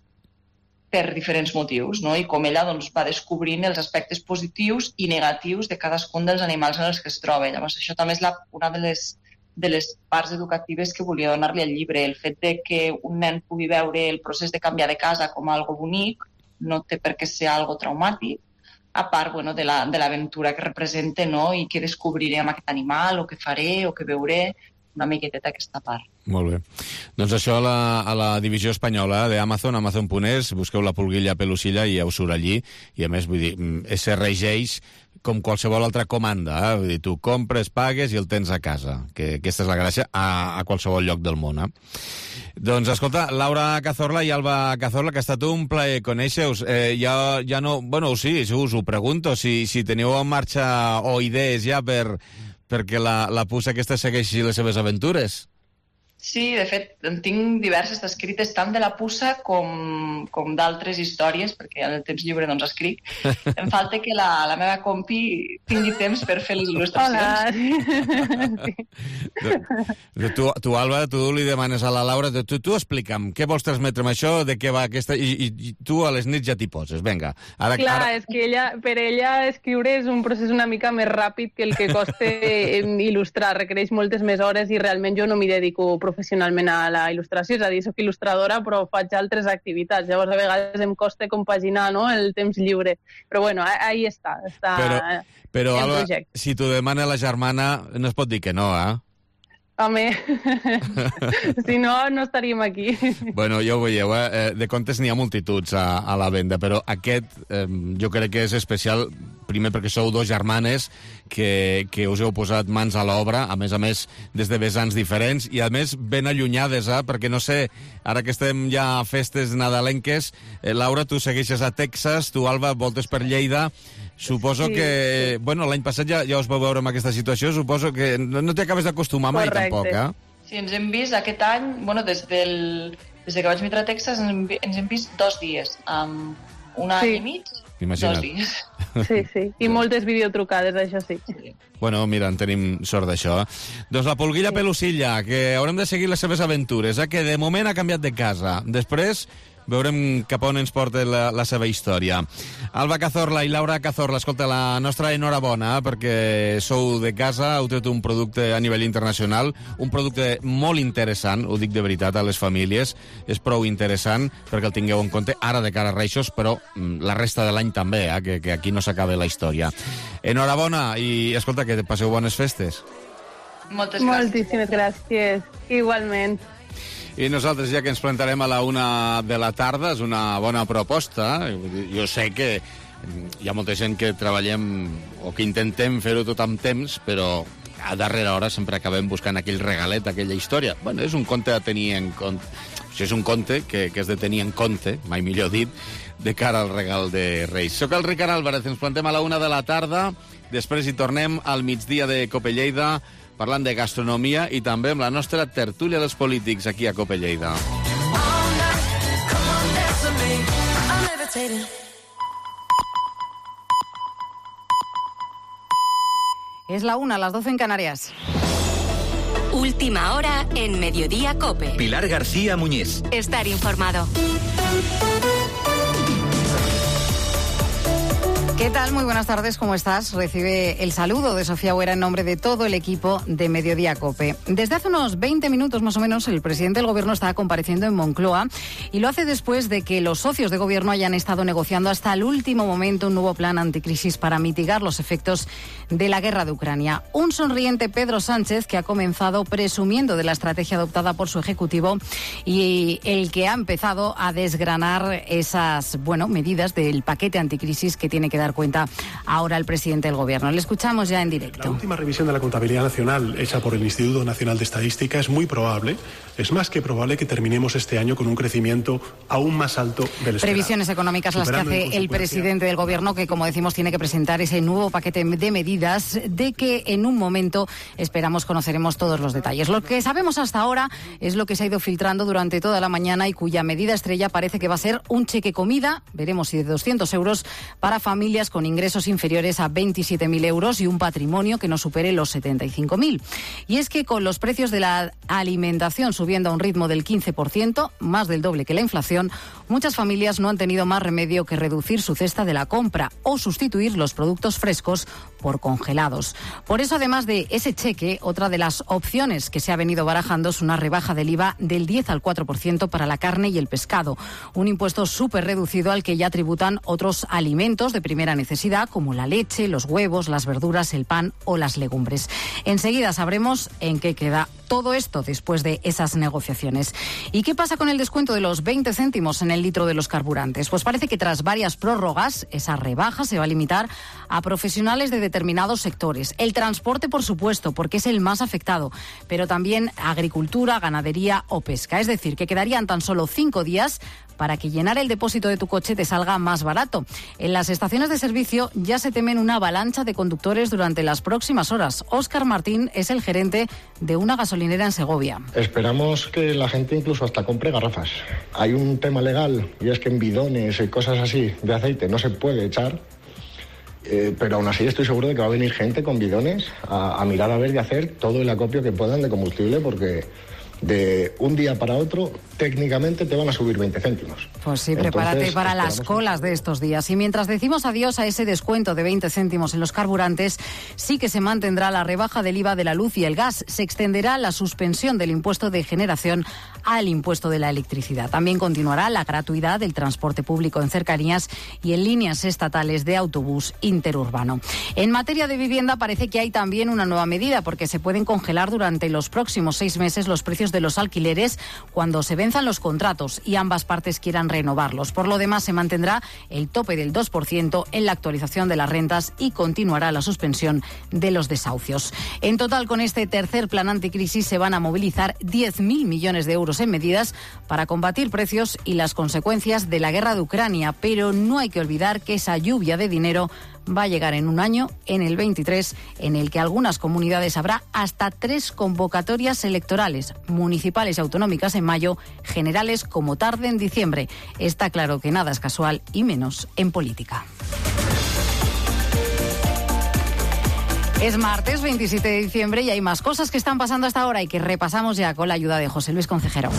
per diferents motius, no? I com ella va descobrint els aspectes positius i negatius de cadascun dels animals en els que es troba. Llavors, això també és una de les parts educatives que volia donar-li al llibre. El fet de que un nen pugui veure el procés de canviar de casa com algo bonic no té per què ser algo traumàtic, a part de l'aventura que representa, no? I què descobriré amb aquest animal, o què faré, o què veuré, una miqueteta aquesta part. Molt bé. Doncs això a la divisió espanyola d'Amazon, Amazon.es, busqueu la pulguilla pelusilla i ja us surt allí. I a més, vull dir, se regeix com qualsevol altra comanda. Vull dir, tu compres, pagues i el tens a casa. Que aquesta és la gràcia a qualsevol lloc del món. Doncs, escolta, Laura Cazorla i Alba Cazorla, que ha estat un plaer conèixer-us. Ja no... Bueno, sí, us ho pregunto, si teniu en marxa o idees ja perquè la puça aquesta segueixi les seves aventures. Sí, de fet, en tinc diverses escrites tant de la puça com d'altres històries, perquè en el temps lliure doncs escric. Em falta que la meva compi tingui temps per fer les il·lustracions. Hola! Tu, Alba, tu li demanes a la Laura, tu explica'm, què vols transmetre amb això, de què va aquesta... I tu a les nits ja t'hi poses, vinga. Clar, és que per ella escriure és un procés una mica més ràpid que el que costa il·lustrar, requereix moltes més hores i realment jo no m'hi dedico professionalment a la il·lustració, és a dir, soc il·lustradora però faig altres activitats, llavors a vegades em costa compaginar, no?, el temps lliure, però bueno, ahí està però el Alba, projecte. Si t'ho demana la germana no es pot dir que no, Home, si no, no estaríem aquí. Bueno, ja ho veieu, de contes n'hi ha multituds a la venda, però aquest jo crec que és especial, primer perquè sou dos germanes que us heu posat mans a l'obra, a més, des de vessants diferents, i a més ben allunyades, perquè no sé, ara que estem ja a festes nadalenques, Laura, tu segueixes a Texas, tu, Alba, voltes per Lleida. Suposo que, bueno, l'any passat ja us vau veure en aquesta situació, suposo que no t'hi acabes d'acostumar mai. Correcte. Tampoc, Sí, ens hem vist aquest any, bueno, des que vaig vindre a Texas ens hem vist 2 dies, un any i mig, Imagina't. 2 dies. Sí, i moltes videotrucades, això sí. Bueno, mira, en tenim sort d'això. Doncs la pulguilla pelusilla, que haurem de seguir les seves aventures, que de moment ha canviat de casa. Després veurem cap on ens porta la seva història. Alba Cazorla i Laura Cazorla, escolta, la nostra enhorabona, perquè sou de casa, heu tret un producte a nivell internacional, un producte molt interessant, ho dic de veritat a les famílies, és prou interessant perquè el tingueu en compte ara de cara a Reixos, però la resta de l'any també, que aquí no s'acaba la història. Enhorabona i, escolta, que passeu bones festes. Moltes gràcies. Moltíssimes gràcies. Igualment. I nosaltres, ja que ens plantarem a la 1 de la tarda, és una bona proposta. Jo sé que hi ha molta gent que treballem o que intentem fer-ho tot amb temps, però a darrera hora sempre acabem buscant aquell regalet, aquella història. Bueno, és un conte a tenir en compte. Això és un conte que és de tenir en compte, mai millor dit, de cara al regal de Reis. Soc el Ricard Álvarez, ens plantem a la 1 de la tarda, després hi tornem al migdia de Cope Lleida, parlant de gastronomia i també amb la nostra tertúlia dels polítics aquí a Cope Lleida. Es la 1, las 12 en Canarias. Última hora en Mediodía Cope. Pilar García Muñiz. Estar informado. ¿Qué tal? Muy buenas tardes, ¿cómo estás? Recibe el saludo de Sofía Huera en nombre de todo el equipo de Mediodía Cope. Desde hace unos 20 minutos más o menos el presidente del Gobierno está compareciendo en Moncloa y lo hace después de que los socios de Gobierno hayan estado negociando hasta el último momento un nuevo plan anticrisis para mitigar los efectos de la guerra de Ucrania. Un sonriente Pedro Sánchez que ha comenzado presumiendo de la estrategia adoptada por su Ejecutivo y el que ha empezado a desgranar esas, medidas del paquete anticrisis que tiene que dar cuenta ahora el presidente del Gobierno. Le escuchamos ya en directo. La última revisión de la contabilidad nacional hecha por el Instituto Nacional de Estadística es muy probable, es más que probable que terminemos este año con un crecimiento aún más alto del esperado. Previsiones económicas las que hace el presidente del Gobierno, que como decimos tiene que presentar ese nuevo paquete de medidas de que en un momento esperamos conoceremos todos los detalles. Lo que sabemos hasta ahora es lo que se ha ido filtrando durante toda la mañana y cuya medida estrella parece que va a ser un cheque comida, veremos si de 200 euros para familias con ingresos inferiores a 27.000 euros y un patrimonio que no supere los 75.000. Y es que con los precios de la alimentación subiendo a un ritmo del 15%, más del doble que la inflación, muchas familias no han tenido más remedio que reducir su cesta de la compra o sustituir los productos frescos por congelados. Por eso, además de ese cheque, otra de las opciones que se ha venido barajando es una rebaja del IVA del 10 al 4% para la carne y el pescado, un impuesto súper reducido al que ya tributan otros alimentos de primera necesidad como la leche, los huevos, las verduras, el pan o las legumbres. Enseguida sabremos en qué queda todo esto después de esas negociaciones. ¿Y qué pasa con el descuento de los 20 céntimos en el litro de los carburantes? Pues parece que tras varias prórrogas, esa rebaja se va a limitar a profesionales de determinados sectores. El transporte, por supuesto, porque es el más afectado, pero también agricultura, ganadería o pesca. Es decir, que quedarían tan solo 5 días para que llenar el depósito de tu coche te salga más barato. En las estaciones de servicio ya se temen una avalancha de conductores durante las próximas horas. Óscar Martín es el gerente de una gasolinera en Segovia. Esperamos que la gente incluso hasta compre garrafas. Hay un tema legal y es que en bidones y cosas así de aceite no se puede echar. Pero aún así estoy seguro de que va a venir gente con bidones a mirar a ver y hacer todo el acopio que puedan de combustible, porque de un día para otro técnicamente te van a subir 20 céntimos. Pues sí, prepárate para las colas de estos días. Y mientras decimos adiós a ese descuento de 20 céntimos en los carburantes, sí que se mantendrá la rebaja del IVA de la luz y el gas. Se extenderá la suspensión del impuesto de generación al impuesto de la electricidad. También continuará la gratuidad del transporte público en cercanías y en líneas estatales de autobús interurbano. En materia de vivienda parece que hay también una nueva medida, porque se pueden congelar durante los próximos 6 meses los precios de los alquileres cuando se venzan los contratos y ambas partes quieran renovarlos. Por lo demás, se mantendrá el tope del 2% en la actualización de las rentas y continuará la suspensión de los desahucios. En total, con este tercer plan anticrisis se van a movilizar 10.000 millones de euros en medidas para combatir precios y las consecuencias de la guerra de Ucrania, pero no hay que olvidar que esa lluvia de dinero va a llegar en un año, en el 23, en el que algunas comunidades habrá hasta 3 convocatorias electorales, municipales y autonómicas en mayo, generales como tarde en diciembre. Está claro que nada es casual y menos en política. Es martes 27 de diciembre y hay más cosas que están pasando hasta ahora y que repasamos ya con la ayuda de José Luis Concejero.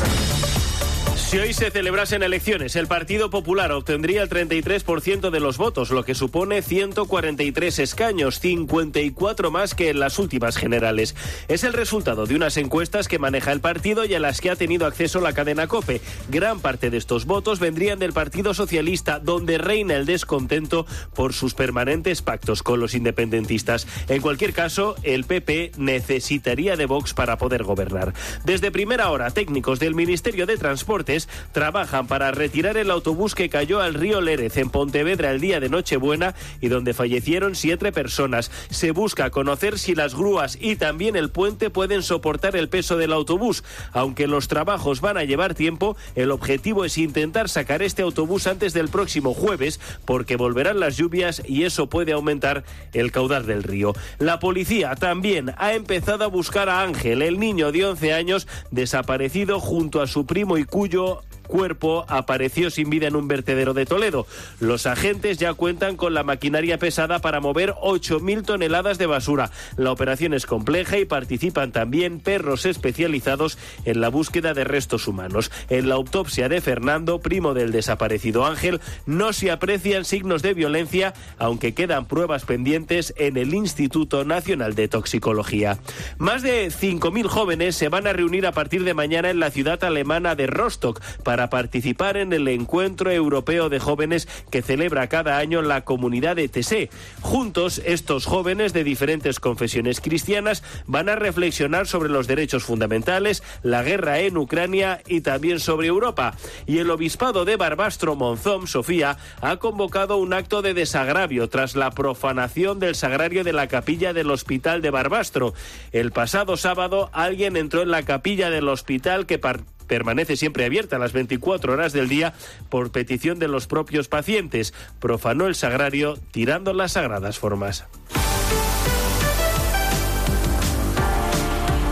Si hoy se celebrasen elecciones, el Partido Popular obtendría el 33% de los votos, lo que supone 143 escaños, 54 más que en las últimas generales. Es el resultado de unas encuestas que maneja el partido y a las que ha tenido acceso la cadena COPE. Gran parte de estos votos vendrían del Partido Socialista, donde reina el descontento por sus permanentes pactos con los independentistas. En cualquier caso, el PP necesitaría de Vox para poder gobernar. Desde primera hora, técnicos del Ministerio de Transportes jóvenes trabajan para retirar el autobús que cayó al río Lérez en Pontevedra el día de Nochebuena y donde fallecieron 7 personas. Se busca conocer si las grúas y también el puente pueden soportar el peso del autobús. Aunque los trabajos van a llevar tiempo, el objetivo es intentar sacar este autobús antes del próximo jueves, porque volverán las lluvias y eso puede aumentar el caudal del río. La policía también ha empezado a buscar a Ángel, el niño de 11 años desaparecido junto a su primo y cuyo cuerpo apareció sin vida en un vertedero de Toledo. Los agentes ya cuentan con la maquinaria pesada para mover 8.000 toneladas de basura. La operación es compleja y participan también perros especializados en la búsqueda de restos humanos. En la autopsia de Fernando, primo del desaparecido Ángel, no se aprecian signos de violencia, aunque quedan pruebas pendientes en el Instituto Nacional de Toxicología. Más de 5.000 jóvenes se van a reunir a partir de mañana en la ciudad alemana de Rostock para participar en el Encuentro Europeo de Jóvenes que celebra cada año la comunidad de ETC. Juntos, estos jóvenes de diferentes confesiones cristianas van a reflexionar sobre los derechos fundamentales, la guerra en Ucrania y también sobre Europa. Y el obispado de Barbastro Monzón, Sofía, ha convocado un acto de desagravio tras la profanación del sagrario de la capilla del Hospital de Barbastro. El pasado sábado, alguien entró en la capilla del hospital que permanece siempre abierta a las 24 horas del día por petición de los propios pacientes. Profanó el sagrario tirando las sagradas formas.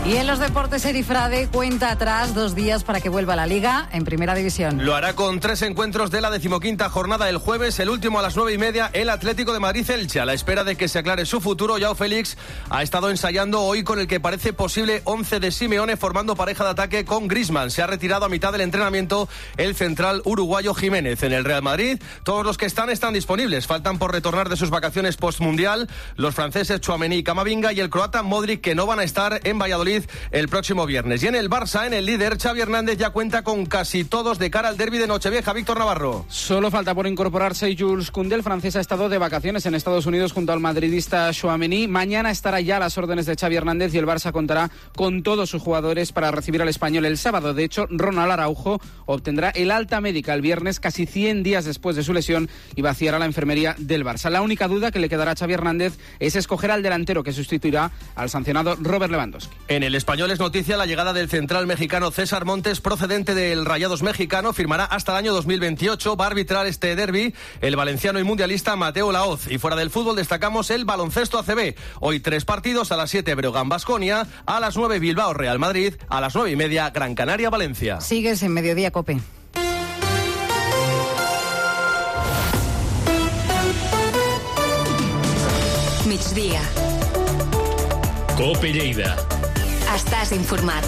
Y en los deportes, Eri Frade cuenta atrás 2 días para que vuelva a la Liga en Primera División. Lo hará con 3 encuentros de la 15ª jornada el jueves, el último a las 9:30, el Atlético de Madrid-Elche. A la espera de que se aclare su futuro, Joao Félix ha estado ensayando hoy con el que parece posible 11 de Simeone, formando pareja de ataque con Griezmann. Se ha retirado a mitad del entrenamiento el central uruguayo Jiménez. En el Real Madrid, todos los que están disponibles. Faltan por retornar de sus vacaciones postmundial los franceses Tchouaméni y Camavinga y el croata Modric, que no van a estar en Valladolid el próximo viernes. Y en el Barça, en el líder, Xavi Hernández ya cuenta con casi todos de cara al derbi de Nochevieja. Víctor Navarro. Solo falta por incorporarse Jules Koundé. El francés ha estado de vacaciones en Estados Unidos junto al madridista Tchouaméni. Mañana estará ya a las órdenes de Xavi Hernández y el Barça contará con todos sus jugadores para recibir al español el sábado. De hecho, Ronald Araujo obtendrá el alta médica el viernes, casi 100 días después de su lesión, y vaciará la enfermería del Barça. La única duda que le quedará a Xavi Hernández es escoger al delantero que sustituirá al sancionado Robert Lewandowski. En el español es noticia la llegada del central mexicano César Montes, procedente del Rayados mexicano. Firmará hasta el año 2028. Va a arbitrar este derbi el valenciano y mundialista Mateo Laoz. Y fuera del fútbol destacamos el baloncesto ACB. Hoy 3 partidos: a las 7 Breogán-Baskonia, a las 9 Bilbao-Real Madrid, a las 9:30 Gran Canaria-Valencia. Sigues en Mediodía Cope. Migdia. Cope Lleida. Estàs informat.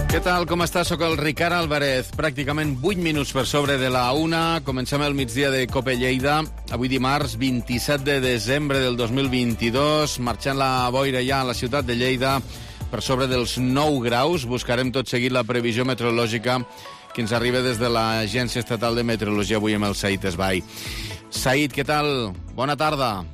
Què tal, com està? Soc el Ricard Álvarez. Pràcticament 8 minuts per sobre de la 1. Comencem el migdia de Cope Lleida. Avui dimarts, 27 de desembre del 2022. Marxant la boira ja a la ciutat de Lleida per sobre dels 9 graus. Buscarem tot seguit la previsió meteorològica que ens arriba des de l'Agència Estatal de Meteorologia avui amb el Said Esbai. Said, què tal? Bona tarda.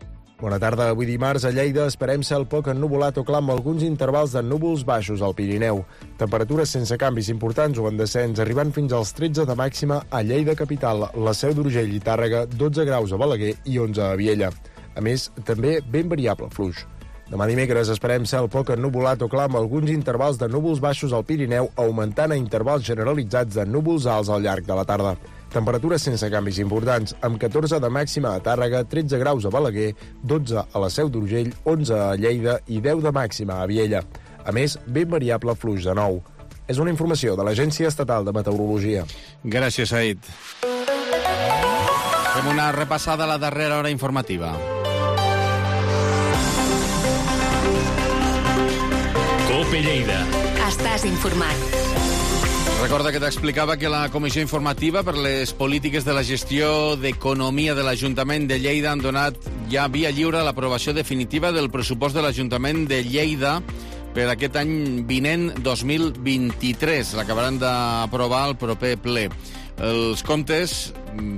Bona tarda. Avui dimarts a Lleida esperem cel poc ennuvolat o clar amb alguns intervals de núvols baixos al Pirineu. Temperatures sense canvis importants o en descens, arribant fins als 13 de màxima a Lleida capital, la Seu d'Urgell i Tàrrega, 12 graus a Balaguer i 11 a Viella. A més, també ben variable fluix. Demà dimecres esperem cel poc ennuvolat o clar amb alguns intervals de núvols baixos al Pirineu, augmentant a intervals generalitzats de núvols alts al llarg de la tarda. Temperatures sense canvis importants, amb 14 de màxima a Tàrrega, 13 graus a Balaguer, 12 a la Seu d'Urgell, 11 a Lleida i 10 de màxima a Viella. A més, ben variable fluix de nou. És una informació de l'Agència Estatal de Meteorologia. Gràcies, Said. Fem una repassada a la darrera hora informativa. Cope Lleida. Estàs informat. Recorda que t'explicava que la Comissió Informativa per les Polítiques de la Gestió d'Economia de l'Ajuntament de Lleida han donat ja via lliure l'aprovació definitiva del pressupost de l'Ajuntament de Lleida per aquest any vinent 2023. L'acabaran d'aprovar el proper ple. Els comptes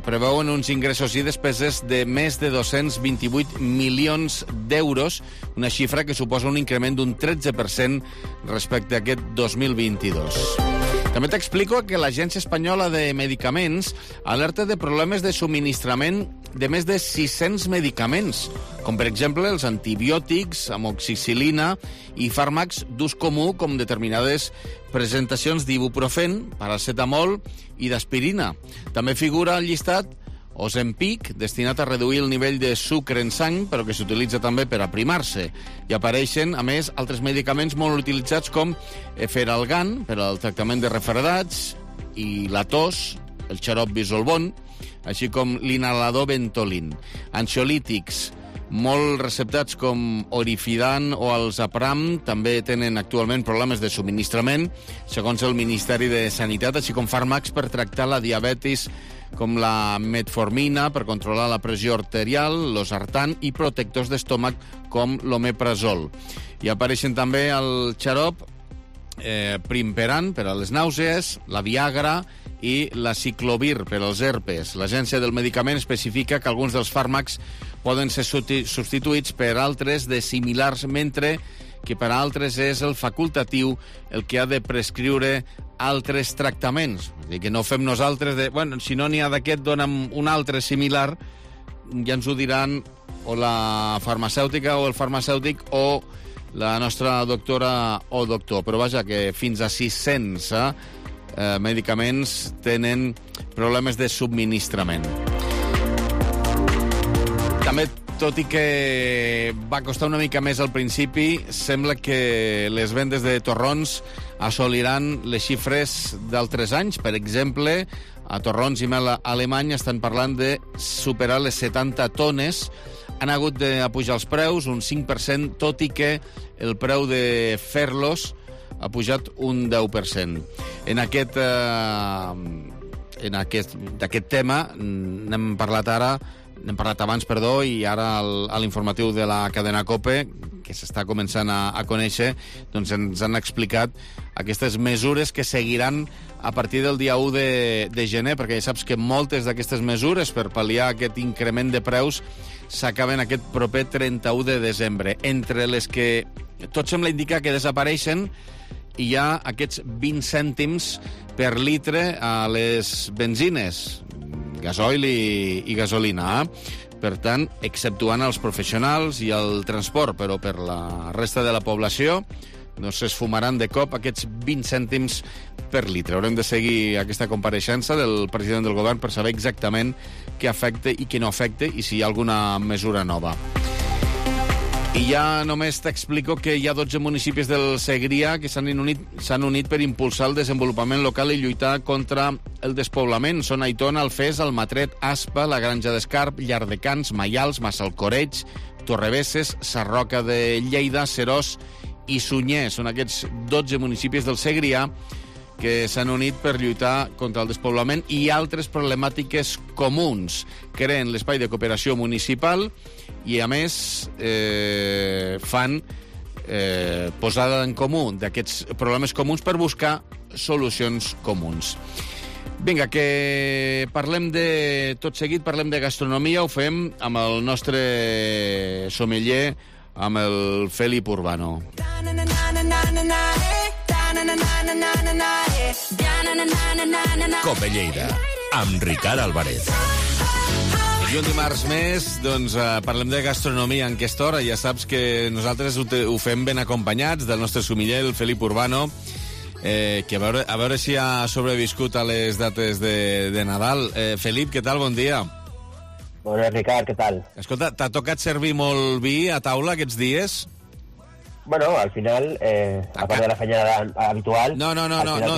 preveuen uns ingressos i despeses de més de 228 milions d'euros, una xifra que suposa un increment d'un 13% respecte a aquest 2022. També t'explico que l'Agència Espanyola de Medicaments alerta de problemes de subministrament de més de 600 medicaments, com per exemple els antibiòtics, amoxicil·lina i fàrmacs d'ús comú com determinades presentacions d'ibuprofen, paracetamol i d'aspirina. També figura al llistat Ozempic, destinat a reduir el nivell de sucre en sang, però que s'utilitza també per aprimar-se. I apareixen, a més, altres medicaments molt utilitzats com Efferalgan, per al tractament de refredats, i la tos, el xarop Bisolbon, així com l'inhalador Ventolin. Ansiolítics, molt receptats com Orifidan o el Zapram, també tenen actualment problemes de subministrament, segons el Ministeri de Sanitat, així com fàrmacs per tractar la diabetis, com la metformina per controlar la pressió arterial, l'osartan i protectors d'estómac com l'omeprazol. I apareixen també el xarop Primperan per a les nàusees, la Viagra i la Ciclovir per als herpes. L'Agència del Medicament especifica que alguns dels fàrmacs poden ser substituïts per altres de similars, mentre que per a altres és el facultatiu el que ha de prescriure altres tractaments. És a dir, que no fem nosaltres de... Bueno, si no n'hi ha d'aquest, dona'm un altre similar, ja ens ho diran o la farmacèutica o el farmacèutic o la nostra doctora o doctor. Però vaja, que fins a 600 medicaments tenen problemes de subministrament. També, tot i que va costar una mica més al principi, sembla que les vendes de torrons assoliran les xifres d'altres anys. Per exemple, a Torrons i Mel Alemany estan parlant de superar les 70 tones. Han hagut d'apujar els preus un 5%, tot i que el preu de fer-los ha pujat un 10%. D'aquest tema n'hem parlat ara, n'hem parlat abans, i ara a l'informatiu de la cadena COPE, que s'està començant a conèixer, doncs ens han explicat aquestes mesures que seguiran a partir del dia 1 de gener, perquè ja saps que moltes d'aquestes mesures per pal·liar aquest increment de preus s'acaben aquest proper 31 de desembre. Entre les que tot sembla indicar que desapareixen, hi ha aquests 20 cèntims per litre a les benzines, gasoil i gasolina. Per tant, exceptuant els professionals i el transport, però per la resta de la població no s'esfumaran de cop aquests 20 cèntims per litre. Haurem de seguir aquesta compareixença del president del govern per saber exactament què afecta i què no afecta i si hi ha alguna mesura nova. I ja només t'explico que hi ha 12 municipis del Segrià que s'han unit per impulsar el desenvolupament local i lluitar contra el despoblament. Són Aitona, Alfés, Almatret, Aspa, la Granja d'Escarp, Llardecans, Maials, Massalcoreig, Torrebesses, Sarroca de Lleida, Serós i Sunyer. Són aquests 12 municipis del Segrià que s'han unit per lluitar contra el despoblament i altres problemàtiques comuns. Creen l'espai de cooperació municipal i, a més, fan posada en comú d'aquests problemes comuns per buscar solucions comuns. Vinga, que parlem de... Tot seguit parlem de gastronomia, ho fem amb el nostre sommelier, amb el Felip Urbano. Cope Lleida, amb Ricard Álvarez. I un dimarts més, doncs, parlem de gastronomia en aquesta hora. Ja saps que nosaltres ho fem ben acompanyats del nostre sommelier, el Felip Urbano, que a veure si ha sobreviscut a les dates de Nadal. Felip, què tal? Bon dia. Bon dia, Ricard, què tal? Escolta, t'ha tocat servir molt vi a taula aquests dies? Bueno, al final, a part de la feina habitual... No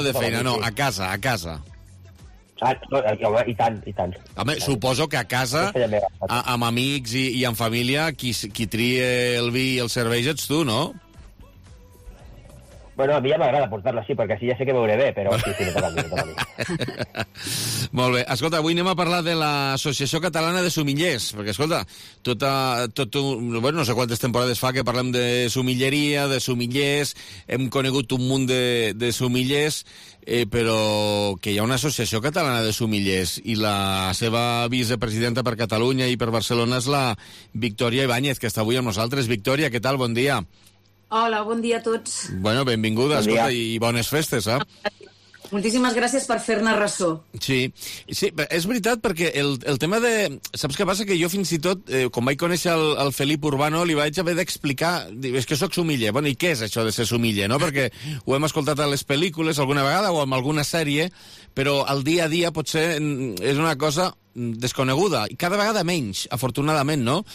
de feina, no, a casa. I tant. Home, suposo que a casa, amb amics i amb família, qui tria el vi i el serveix ets tu, no? Bueno, a mi ja m'agrada portar-lo així, perquè així ja sé que veuré bé, però sí, me toca a mi. Molt bé. Escolta, avui anem a parlar de l'Associació Catalana de Sumillers, perquè, escolta, no sé quantes temporades fa que parlem de sumilleria, de sumillers, hem conegut un munt de sumillers, però que hi ha una Associació Catalana de Sumillers i la seva vicepresidenta per Catalunya i per Barcelona és la Victòria Ibáñez, que està avui amb nosaltres. Victòria, què tal? Bon dia. Hola, bon dia a tots. Bueno, benvinguda, bon escolta, i bones festes, Moltíssimes gràcies per fer-ne ressò. Sí, és veritat, perquè el tema de... Saps què passa? Que jo fins i tot, quan vaig conèixer el Felip Urbano, li vaig haver d'explicar... És que soc sumiller. Bueno, i què és això de ser sumiller, no? Perquè ho hem escoltat a les pel·lícules alguna vegada o en alguna sèrie, però al dia a dia potser és una cosa desconeguda. I cada vegada menys, afortunadament, no?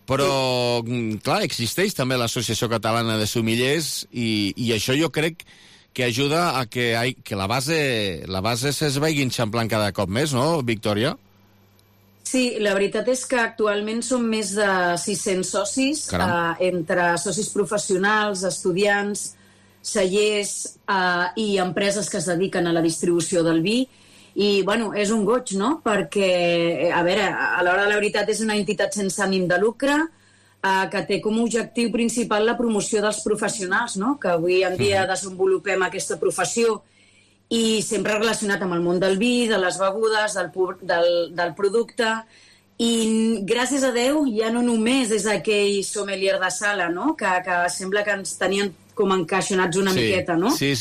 Però, clar, existeix també l'Associació Catalana de Sumillers i això jo crec que ajuda a que la base es vagi enxamplant cada cop més, no, Victòria? Sí, la veritat és que actualment som més de 600 socis, entre socis professionals, estudiants, cellers i empreses que es dediquen a la distribució del vi. I, bueno, és un goig, no? Perquè, a veure, a l'hora de la veritat és una entitat sense ànim de lucre que té com a objectiu principal la promoció dels professionals, no? Que avui en dia desenvolupem aquesta professió i sempre relacionat amb el món del vi, de les begudes, del producte. I gràcies a Déu ja no només és aquell sommelier de sala, no? Que sembla que ens tenien com encaixonats una miqueta, no? Sí.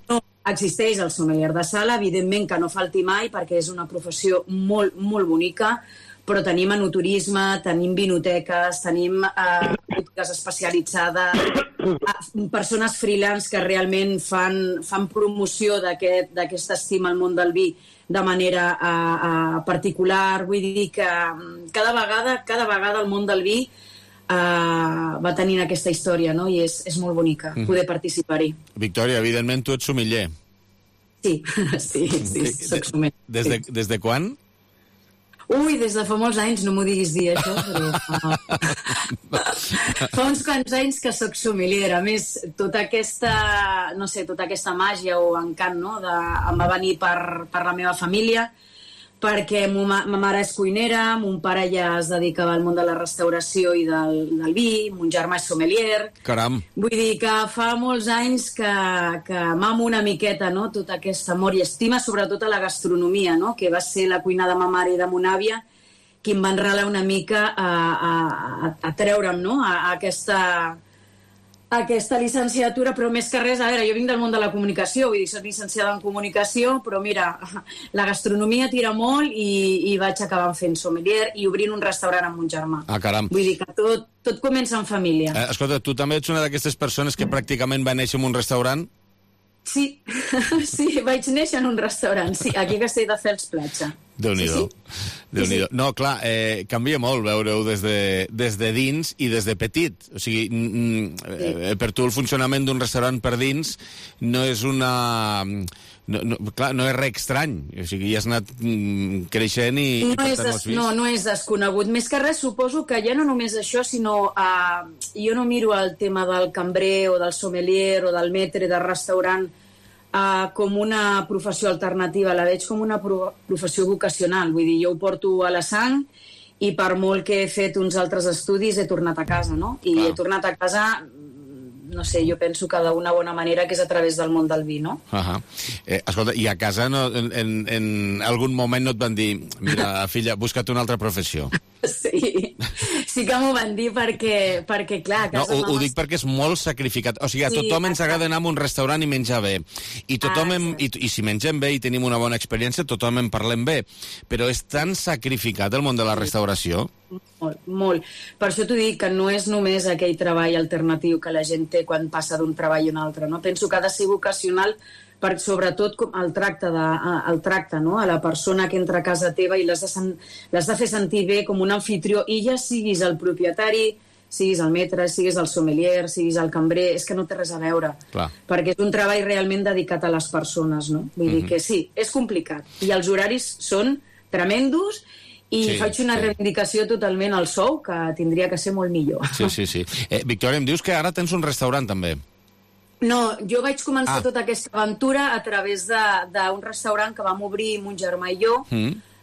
No, existeix el sommelier de sala, evidentment que no falti mai perquè és una professió molt, molt bonica, però tenim enoturisme, tenim vinoteques, tenim botigues especialitzades, persones freelance que realment fan promoció d'aquest estima al món del vi de manera particular. Vull dir que cada vegada el món del vi va tenint aquesta història, no? I és molt bonica poder participar-hi. Victòria, evidentment tu ets sumiller. Sí, soc sumiller. Des de quan? Ui, des de fa molts anys, no m'ho diguis dir, això, però fa uns quants anys que soc sommelier. A més, tota aquesta màgia o encant, no?, em va venir per la meva família, perquè ma mare és cuinera, mon pare ja es dedicava al món de la restauració i del vi, mon germà és sommelier. Caram! Vull dir que fa molts anys que mamo una miqueta, no?, tot aquest amor i estima, sobretot a la gastronomia, no?, que va ser la cuina de ma mare i de mon àvia qui em va enralar una mica a treure'm, no?, a aquesta llicenciatura, però més que res, a veure, jo vinc del món de la comunicació, vull dir, soc llicenciada en comunicació, però mira, la gastronomia tira molt i vaig acabar fent sommelier i obrint un restaurant amb mon germà. Ah, caram. Vull dir que tot comença en família. Escolta, tu també ets una d'aquestes persones que pràcticament va néixer en un restaurant? Sí, vaig néixer en un restaurant, sí, aquí a Castelldefels Platja. Déu-n'hi-do. Sí. No, clar, canvia molt veure-ho des de dins i des de petit. O sigui, per tu el funcionament d'un restaurant per dins no és una... Clar, no és res estrany. O sigui, ja has anat creixent i per tant ho has vist. No és desconegut. Més que res, suposo que ja no només això, sinó jo no miro el tema del cambrer o del sommelier o del maître de restaurant com una professió alternativa, la veig com una professió vocacional. Vull dir, jo ho porto a la sang i per molt que he fet uns altres estudis he tornat a casa, no? I he tornat a casa, no sé, jo penso que d'una bona manera que és a través del món del vi, no? Escolta, i a casa en algun moment no et van dir mira, filla, busca't una altra professió? Sí que m'ho van dir perquè clar, a casa ho dic perquè és molt sacrificat. O sigui, a tothom ens agrada anar a un restaurant i menjar bé. I si mengem bé i tenim una bona experiència, tothom en parlem bé. Però és tan sacrificat el món de la restauració. Molt. Per això t'ho dic, que no és només aquell treball alternatiu que la gent té quan passa d'un treball a un altre, no? Penso que ha de ser vocacional per sobretot el tracte, no? A la persona que entra a casa teva i l'has de fer sentir bé com un anfitrió, i ja siguis el propietari, siguis el maître, siguis el sommelier, siguis el cambrer, és que no té res a veure. Clar. Perquè és un treball realment dedicat a les persones, no? Vull dir que sí, és complicat. I els horaris són tremendos i faig una reivindicació totalment al sou, que tindria que ser molt millor. Sí. Victòria, em dius que ara tens un restaurant, també. No, jo vaig començar tota aquesta aventura a través d'un restaurant que vam obrir mon germà i jo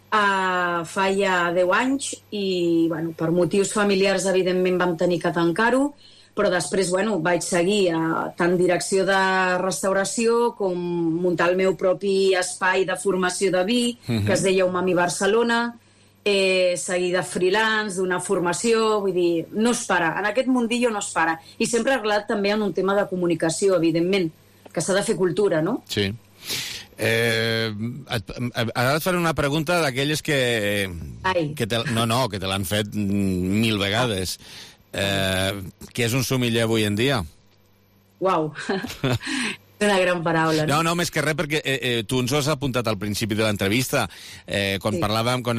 fa ja 10 anys i, bueno, per motius familiars, evidentment, vam tenir que tancar-ho, però després, bueno, vaig seguir tant direcció de restauració com muntar el meu propi espai de formació de vi, que es deia Umami Barcelona, seguir de freelance, d'una formació, vull dir, no es para. En aquest mundillo no es para. I sempre arrelat també en un tema de comunicació, evidentment, que s'ha de fer cultura, no? Sí. Ara et faré una pregunta d'aquelles que te l'han fet 1000 vegades. Què és un sommelier avui en dia? Uau, és una gran paraula. No, més que res, perquè tu ens ho has apuntat al principi de l'entrevista. Quan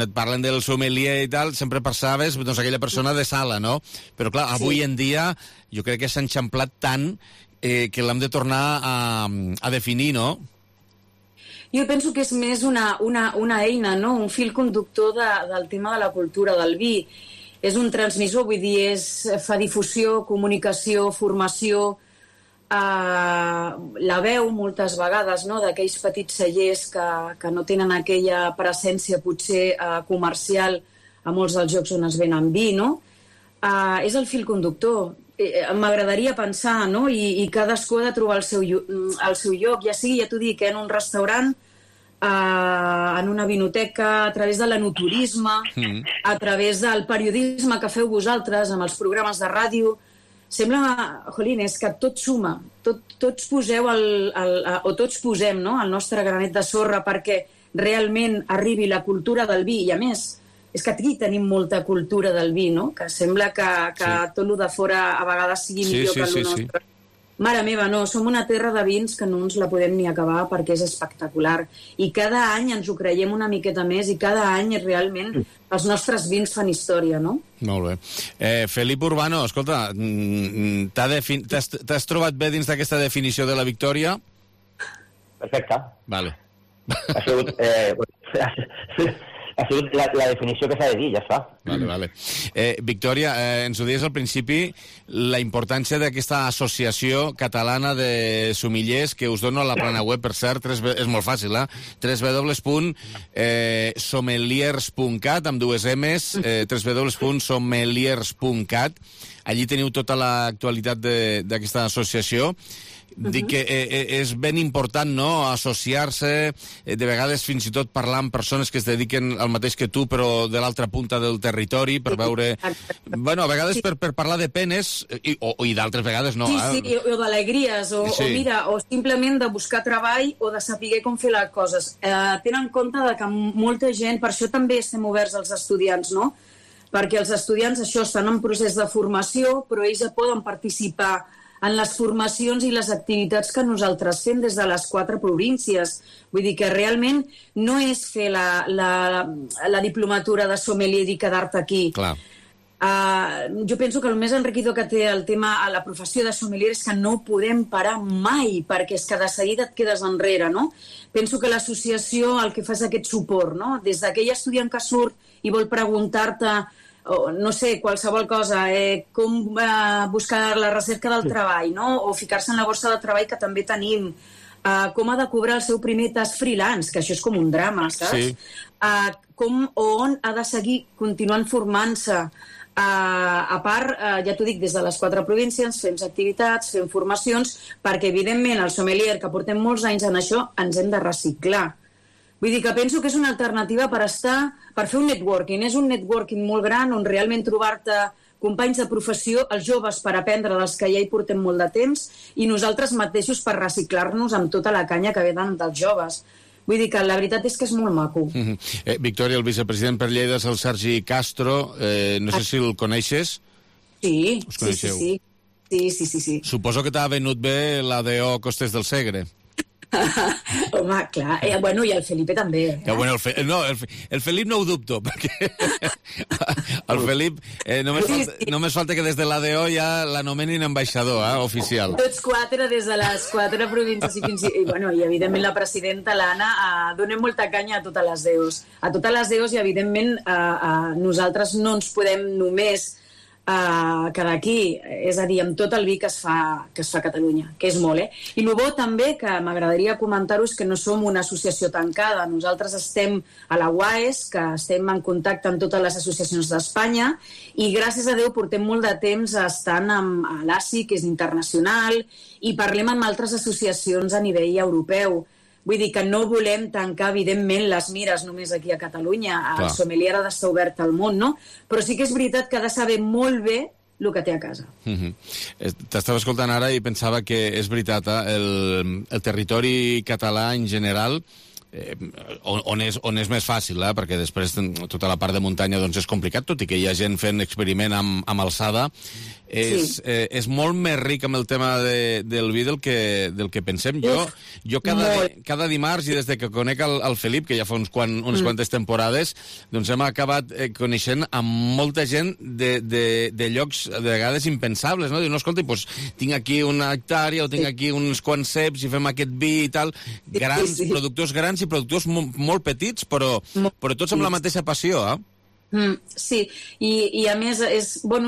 et parlen del sommelier i tal, sempre pensaves aquella persona de sala, no? Però clar, avui en dia jo crec que s'ha enxamplat tant que l'hem de tornar a definir, no? Jo penso que és més una eina, no? Un fil conductor del tema de la cultura del vi. És un transmissor, vull dir, fa difusió, comunicació, formació, la veu moltes vegades, no?, d'aquells petits cellers que no tenen aquella presència potser comercial a molts dels llocs on es venen vi, no? És el fil conductor. M'agradaria pensar, no?, i cadascú ha de trobar el seu lloc, ja sigui, ja t'ho dic, en un restaurant, en una vinoteca, a través de l'enoturisme, a través del periodisme que feu vosaltres, amb els programes de ràdio. Sembla, jolín, és que tot suma. Tots poseu o tots posem, no?, el nostre granet de sorra perquè realment arribi la cultura del vi. I a més, és que aquí tenim molta cultura del vi, no?, que sembla que tot el de fora a vegades sigui millor que el nostre. Mare meva, no, som una terra de vins que no ens la podem ni acabar perquè és espectacular. I cada any ens ho creiem una miqueta més i cada any realment els nostres vins fan història, no? Molt bé. Felip Urbano, escolta, t'has trobat bé dins d'aquesta definició de la victòria? Perfecte. Vale. Ha sigut la definició que s'ha de dir, ja està. Vale. Victòria, ens ho deies al principi, la importància d'aquesta associació catalana de sommeliers que us dono a la plana web, per cert, és molt fàcil, www.sommeliers.cat, amb 2 M's, www.sommeliers.cat. Allí teniu tota l'actualitat d'aquesta associació. Dic que és ben important, no?, associar-se, de vegades fins i tot parlar amb persones que es dediquen al mateix que tu, però de l'altra punta del territori, per veure... Bueno, a vegades per parlar de penes, i d'altres vegades no. Sí, o d'alegries, o mira, o simplement de buscar treball o de saber com fer les coses. Tenen en compte que molta gent, per això també estem oberts als estudiants, no?, perquè els estudiants, això, estan en procés de formació, però ells ja poden participar en les formacions i les activitats que nosaltres fem des de les 4 províncies. Vull dir que realment no és fer la diplomatura de sommelier i quedar-te aquí. Clar. Jo penso que el més enriquidor que té el tema a la professió de sommelier és que no podem parar mai, perquè és que de seguida et quedes enrere, no? Penso que l'associació el que fa és aquest suport, no? Des d'aquell estudiant que surt i vol preguntar-te no sé, qualsevol cosa, com buscar la recerca del treball, no? O ficar-se en la borsa de treball que també tenim, com ha de cobrar el seu primer tas freelance, que això és com un drama, saps? Sí. On ha de seguir continuant formant-se. A part, ja t'ho dic, des de les 4 províncies fem activitats, fem formacions, perquè evidentment el sommelier, que portem molts anys en això, ens hem de reciclar. Vull dir que penso que és una alternativa per fer un networking. És un networking molt gran on realment trobar-te companys de professió, els joves per aprendre dels que ja hi portem molt de temps i nosaltres mateixos per reciclar-nos amb tota la canya que venen dels joves. Vull dir que la veritat és que és molt maco. Victòria, el vicepresident per Lleida és el Sergi Castro. No sé si el coneixes. Sí, us coneixeu? Sí. Suposo que t'ha venut bé l'ADO Costes del Segre. Home, clar. Bueno, i el Felipe també. Bueno, el Felip no ho dubto, perquè el Felip només falta que des de l'ADO ja l'anomenin ambaixador, oficial. Tots 4 des de les 4 províncies i evidentment la presidenta, l'Anna, donem molta canya a totes les DEOs. A totes les DEOs i evidentment nosaltres no ens podem només que d'aquí, és a dir, amb tot el vi que es fa a Catalunya, que és molt, I el bo també, que m'agradaria comentar-ho, és que no som una associació tancada. Nosaltres estem a la UAES, que estem en contacte amb totes les associacions d'Espanya, i gràcies a Déu portem molt de temps estant amb l'ASI, que és internacional, i parlem amb altres associacions a nivell europeu. Vull dir que no volem tancar, evidentment, les mires només aquí a Catalunya. El sommelier ha d'estar obert al món, no? Però sí que és veritat que ha de saber molt bé el que té a casa. T'estava escoltant ara i pensava que és veritat, el territori català en general, on és més fàcil, perquè després tota la part de muntanya doncs és complicat, tot i que hi ha gent fent experiment amb alçada, és molt més ric amb el tema del vi del que pensem. Jo cada dimarts, i des que conec el Felip, que ja fa unes quantes temporades, doncs hem acabat coneixent amb molta gent de llocs de vegades impensables, no? Diu, no, escolta, tinc aquí una hectàrea o tinc aquí uns quants ceps i fem aquest vi i tal. Productors grans i productors molt petits, però tots amb la mateixa passió, Sí, i a més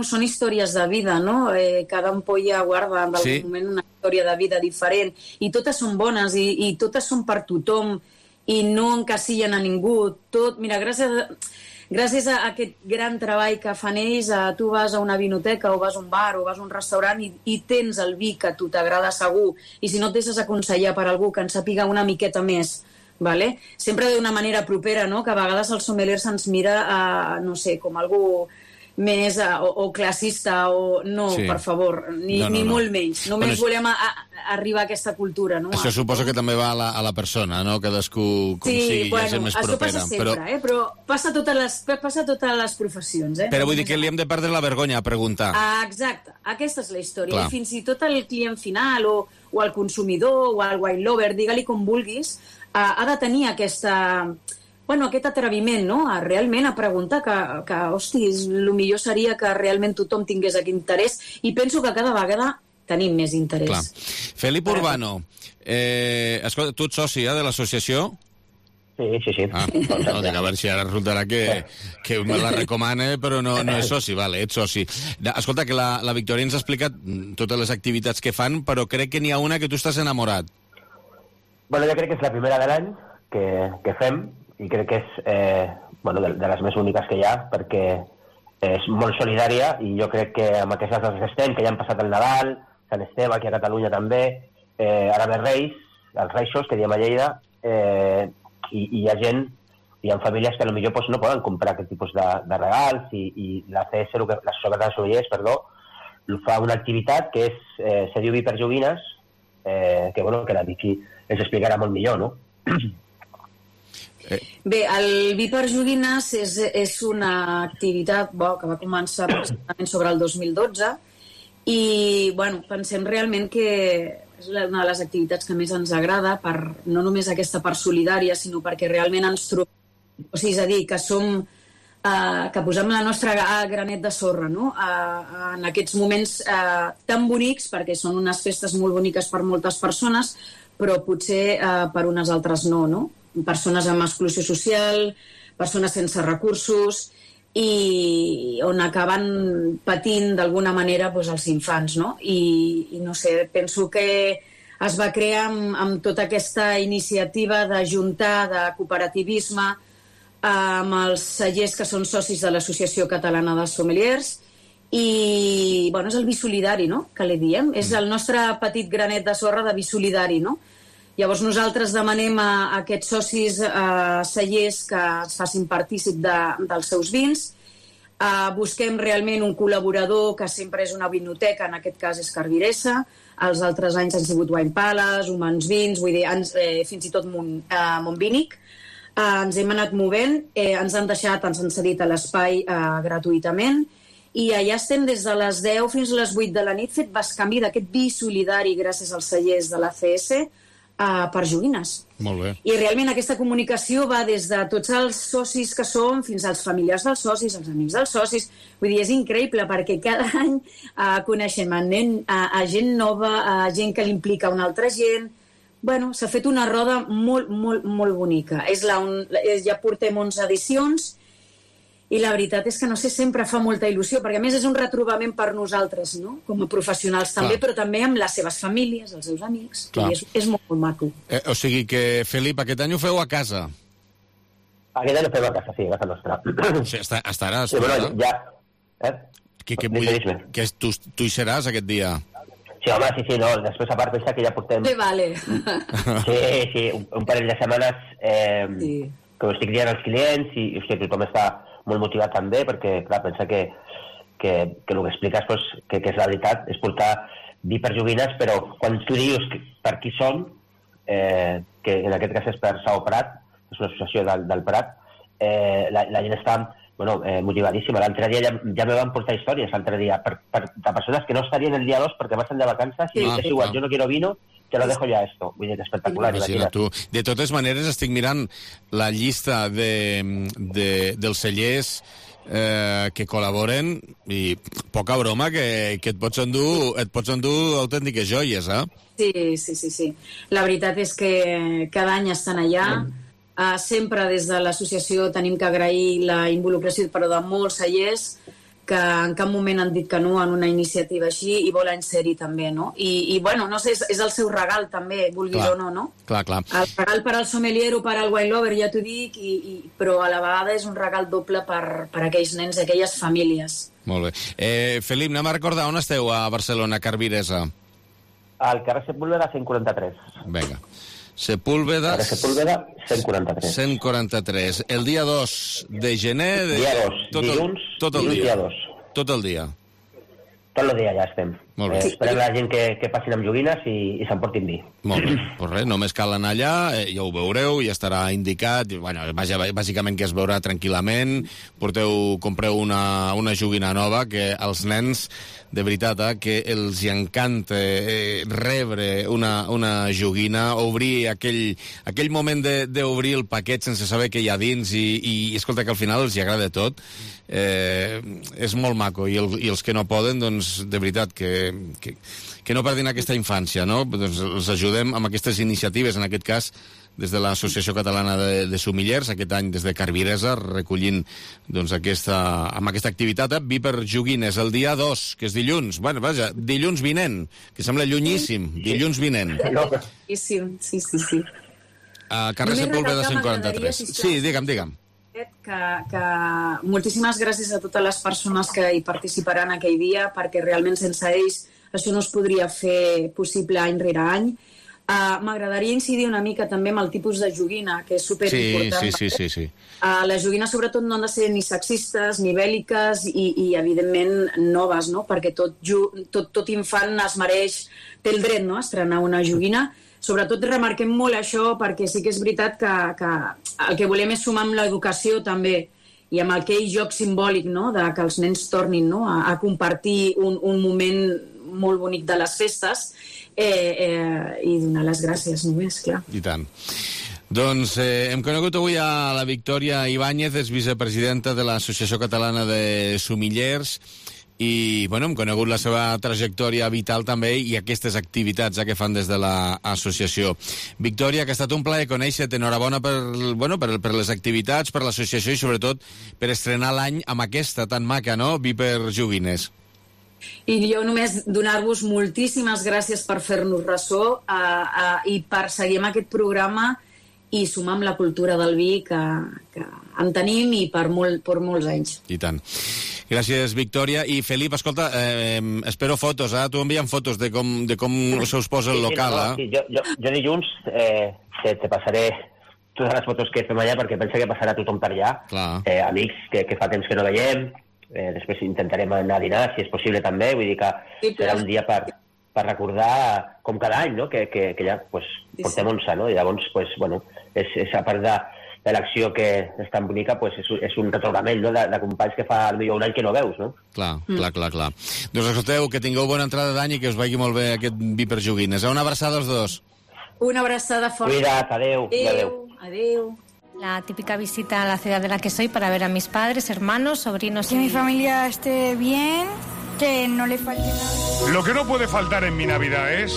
són històries de vida, no? Cada ampolla guarda en algun moment una història de vida diferent, i totes són bones i totes són per tothom i no encasillen a ningú. Mira, gràcies a aquest gran treball que fan ells, tu vas a una vinoteca o vas a un bar o vas a un restaurant i tens el vi que a tu t'agrada segur, i si no et deixes aconsellar per algú que en sàpiga una miqueta més, vale? Sempre d'una manera propera, no? Que a vegades el sommelier se'ns mira, no sé, com algú més o classista o... No, per favor, ni molt menys. Només volem arribar a aquesta cultura, no? Això suposo que també va a la persona, no? Cadascú com sigui, ja gent més propera. Això passa sempre, però passa a totes les professions, Però vull dir que li hem de perdre la vergonya a preguntar. Exacte, aquesta és la història. I fins i tot el client final o el consumidor o el wine lover, digue-li com vulguis, ha de tenir aquest atreviment, no? Realment a preguntar que hosti, el millor seria que realment tothom tingués aquest interès, i penso que cada vegada tenim més interès. Clar. Felip Urbano, escolta, tu ets soci de l'associació? Sí. No, dic, a veure si ara resultarà que me la recomana, però no és soci, vale, ets soci. Escolta, que la Victòria ens ha explicat totes les activitats que fan, però crec que n'hi ha una que tu estàs enamorat. Bueno, jo crec que és la primera de l'any que fem, i crec que és de les més úniques que hi ha, perquè és molt solidària, i jo crec que amb aquestes dates que estem, que ja han passat el Nadal, Sant Esteve, aquí a Catalunya també, ara ve Reis, els Reixos, que diem a Lleida, i hi ha gent, hi ha famílies que potser no poden comprar aquest tipus de regals, i la CS, la Societat de Sommeliers, fa una activitat que se diu Vi per Joguines, que la Vicky ens explicarà molt millor, no? Bé, el Vi per Joguines és una activitat que va començar aproximadament sobre el 2012, i pensem realment que és una de les activitats que més ens agrada, no només aquesta part solidària, sinó perquè realment ens trobem, és a dir, que posem la nostra granet de sorra, no? En aquests moments tan bonics, perquè són unes festes molt boniques per moltes persones, però potser per unes altres no? Persones amb exclusió social, persones sense recursos, i on acaben patint d'alguna manera els infants, no? I no sé, penso que es va crear amb tota aquesta iniciativa d'ajuntar, de cooperativisme, amb els cellers que són socis de l'Associació Catalana de Sommeliers, i és el vi solidari, no?, que li diem. És el nostre petit granet de sorra de vi solidari, no? Llavors nosaltres demanem a aquests socis cellers que es facin partícip dels seus vins, busquem realment un col·laborador que sempre és una vinoteca, en aquest cas és Carviressa, els altres anys han sigut Wine Palace, Humans Vins, vull dir, fins i tot Montvínic. Ens hem anat movent, ens han cedit a l'espai gratuïtament, i allà estem des de les 10 fins a les 8 de la nit fet bescanvi d'aquest vi solidari gràcies als cellers de la CS per Joguines. Molt bé. I realment aquesta comunicació va des de tots els socis que som fins als familiars dels socis, als amics dels socis. Vull dir, és increïble perquè cada any coneixem a gent nova, a gent que l'implica una altra gent. Bueno, s'ha fet una roda molt, molt, molt bonica. Ja portem 11 edicions I la veritat és que, no sé, sempre fa molta il·lusió, perquè a més és un retrobament per nosaltres, no?, com a professionals també, però també amb les seves famílies, els seus amics, i és molt, molt maco. O sigui que, Felip, aquest any ho feu a casa? Aquest any ho fem a casa, sí, a casa nostra. O sigui, estaràs... Sí, bueno, ja... Que tu hi seràs aquest dia? Sí, home, sí, no, després a part pensa que ja portem... Sí, vale. Sí, un parell de setmanes que ho estic dient als clients i hòstia, tothom està molt motivat també, perquè, clar, pensa que el que expliques, pues, que és la veritat, és portar vi per joguines, però quan tu dius per qui són, que en aquest cas és per Sao Prat, és una associació del Prat, la gent està motivadíssima. L'altre dia ja me van portar històries, de persones que no estarien el dia 2 perquè marxen de vacances i és igual, jo no quiero vino, te lo dejo ya esto. Vull dir, espectacular. Tu. De totes maneres, estic mirant la llista dels cellers que col·laboren i poca broma que et pots endur autèntiques joies, eh? Sí. La veritat és que cada any estan allà. Sempre des de l'associació tenim que agrair la involucració de molts cellers que en cap moment han dit que no en una iniciativa així i volen ser-hi també, no? I bueno, no sé, és el seu regal també, vulguis o no, no? Clar. El regal per al sommelier o per al wine lover, ja t'ho dic, però a la vegada és un regal doble per aquells nens i aquelles famílies. Molt bé. Felip, anem a recordar on esteu a Barcelona, Carviresa? Al carrer Sepúlveda 143. Vinga. Sepúlveda 143. 143. El dia 2 de gener... Dia 2, dilluns, dia 2. Tot el dia. Tot el dia ja estem. Molt bé. Esperem la gent que passin amb joguines i s'emportin vi. Molt bé. Pues res, només cal anar allà, ja ho veureu, ja estarà indicat. Bueno, bàsicament que es veurà tranquil·lament. Compreu una joguina nova que els nens, de veritat, que els encanta rebre una joguina, obrir aquell moment d'obrir el paquet sense saber què hi ha dins i escolta, que al final els agrada tot. És molt maco i els que no poden, doncs, de veritat, que no perdin aquesta infància, no? Doncs els ajudem amb aquestes iniciatives, en aquest cas des de l'Associació Catalana de Sommeliers, aquest any des de Carviresa, recollint doncs, amb aquesta activitat, vi per joguines, el dia 2, que és dilluns, bueno, vaja, dilluns vinent, que sembla llunyíssim, dilluns vinent. Sí. A carrer Sepúlveda 143. Sí, digue'm. Que moltíssimes gràcies a totes les persones que hi participaran aquell dia, perquè realment sense ells això no es podria fer possible any rere any. M'agradaria incidir una mica també amb el tipus de joguina, que és superimportant. Sí. Les joguines sobretot no han de ser ni sexistes ni bèl·liques i evidentment noves, no? Perquè tot infant es mereix, té el dret, no?, a estrenar una joguina. Sobretot remarquem molt això perquè sí que és veritat que el que volem és sumar amb l'educació també i amb aquell joc simbòlic, no?, de que els nens tornin, no?, a compartir un moment molt bonic de les festes i donar les gràcies només, clar. I tant. Doncs hem conegut avui a la Victòria Ibáñez, és vicepresidenta de l'Associació Catalana de Sommeliers, i bueno, hem conegut la seva trajectòria vital també i aquestes activitats que fan des de l'associació. Victòria, que ha estat un plaer conèixer-te, enhorabona per les activitats, per l'associació i sobretot per estrenar l'any amb aquesta tan maca, no?, Vi per joguines. I jo només donar-vos moltíssimes gràcies per fer-nos ressò i per seguir amb aquest programa i sumar amb la cultura del vi que en tenim i per molts anys. I tant. Gràcies, Victòria. I, Felip, escolta, espero fotos, Tu envia'm fotos de com se us posa el local, Sí, jo dilluns te passaré totes les fotos que fem allà perquè penso que passarà tothom per allà. Amics que fa temps que no veiem. Després intentarem anar a dinar, si és possible també, vull dir que serà un dia per recordar, com cada any, no?, que ja portem 11, no?, i llavors, és a part de l'acció que és tan bonica, és un retrobament, no?, de companys que fa potser un any que no veus, no? Clar. Doncs escolteu, que tingueu bona entrada d'any i que us vagi molt bé aquest vi per joguines. Una abraçada als dos. Una abraçada forta. Cuida't, adeu. Adeu. La típica visita a la ciudad de la que soy para ver a mis padres, hermanos, sobrinos. Que mi familia esté bien, que no le falte nada. Lo que no puede faltar en mi Navidad es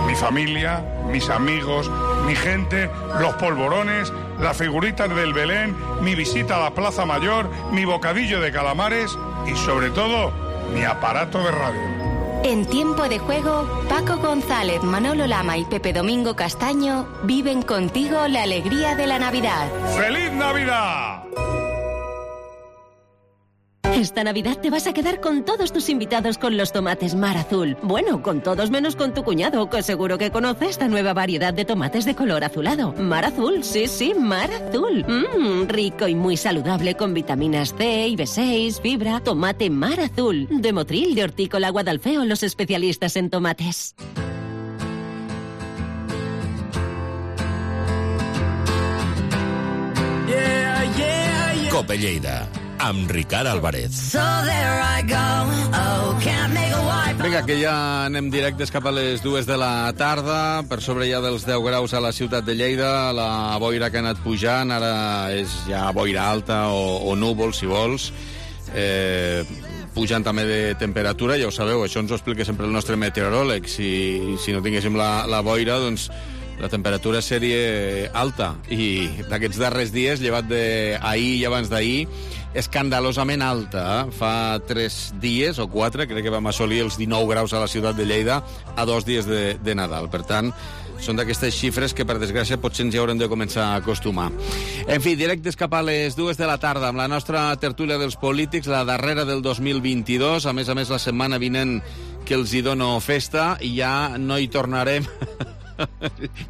mi familia, mis amigos, mi gente, los polvorones las figuritas del Belén, mi visita a la Plaza Mayor, mi bocadillo de calamares y, sobre todo, mi aparato de radio. En Tiempo de Juego, Paco González, Manolo Lama y Pepe Domingo Castaño viven contigo la alegría de la Navidad. ¡Feliz Navidad! Esta Navidad te vas a quedar con todos tus invitados con los tomates Mar Azul. Bueno, con todos menos con tu cuñado, que seguro que conoce esta nueva variedad de tomates de color azulado. Mar Azul, sí, Mar Azul. Rico y muy saludable con vitaminas C y B6, fibra. Tomate Mar Azul. De Motril, de Hortícola Guadalfeo, los especialistas en tomates. Cope Lleida, amb Ricard Álvarez. Vinga, que ja anem directes cap a les 2 de la tarda, per sobre ja dels 10 graus a la ciutat de Lleida, la boira que ha anat pujant, ara és ja boira alta o núvol, si vols, pujant també de temperatura, ja ho sabeu, això ens ho explica sempre el nostre meteoròleg, si no tinguéssim la boira, doncs la temperatura seria alta, i d'aquests darrers dies, llevat d'ahir i abans d'ahir, escandalosament alta. Fa 3 dies o 4, crec que vam assolir els 19 graus a la ciutat de Lleida a 2 dies de Nadal. Per tant, són d'aquestes xifres que, per desgràcia, potser ens hi haurem de començar a acostumar. En fi, directes cap a les 2 de la tarda, amb la nostra tertúlia dels polítics, la darrera del 2022. A més, la setmana vinent que els hi dono festa, i ja no hi tornarem...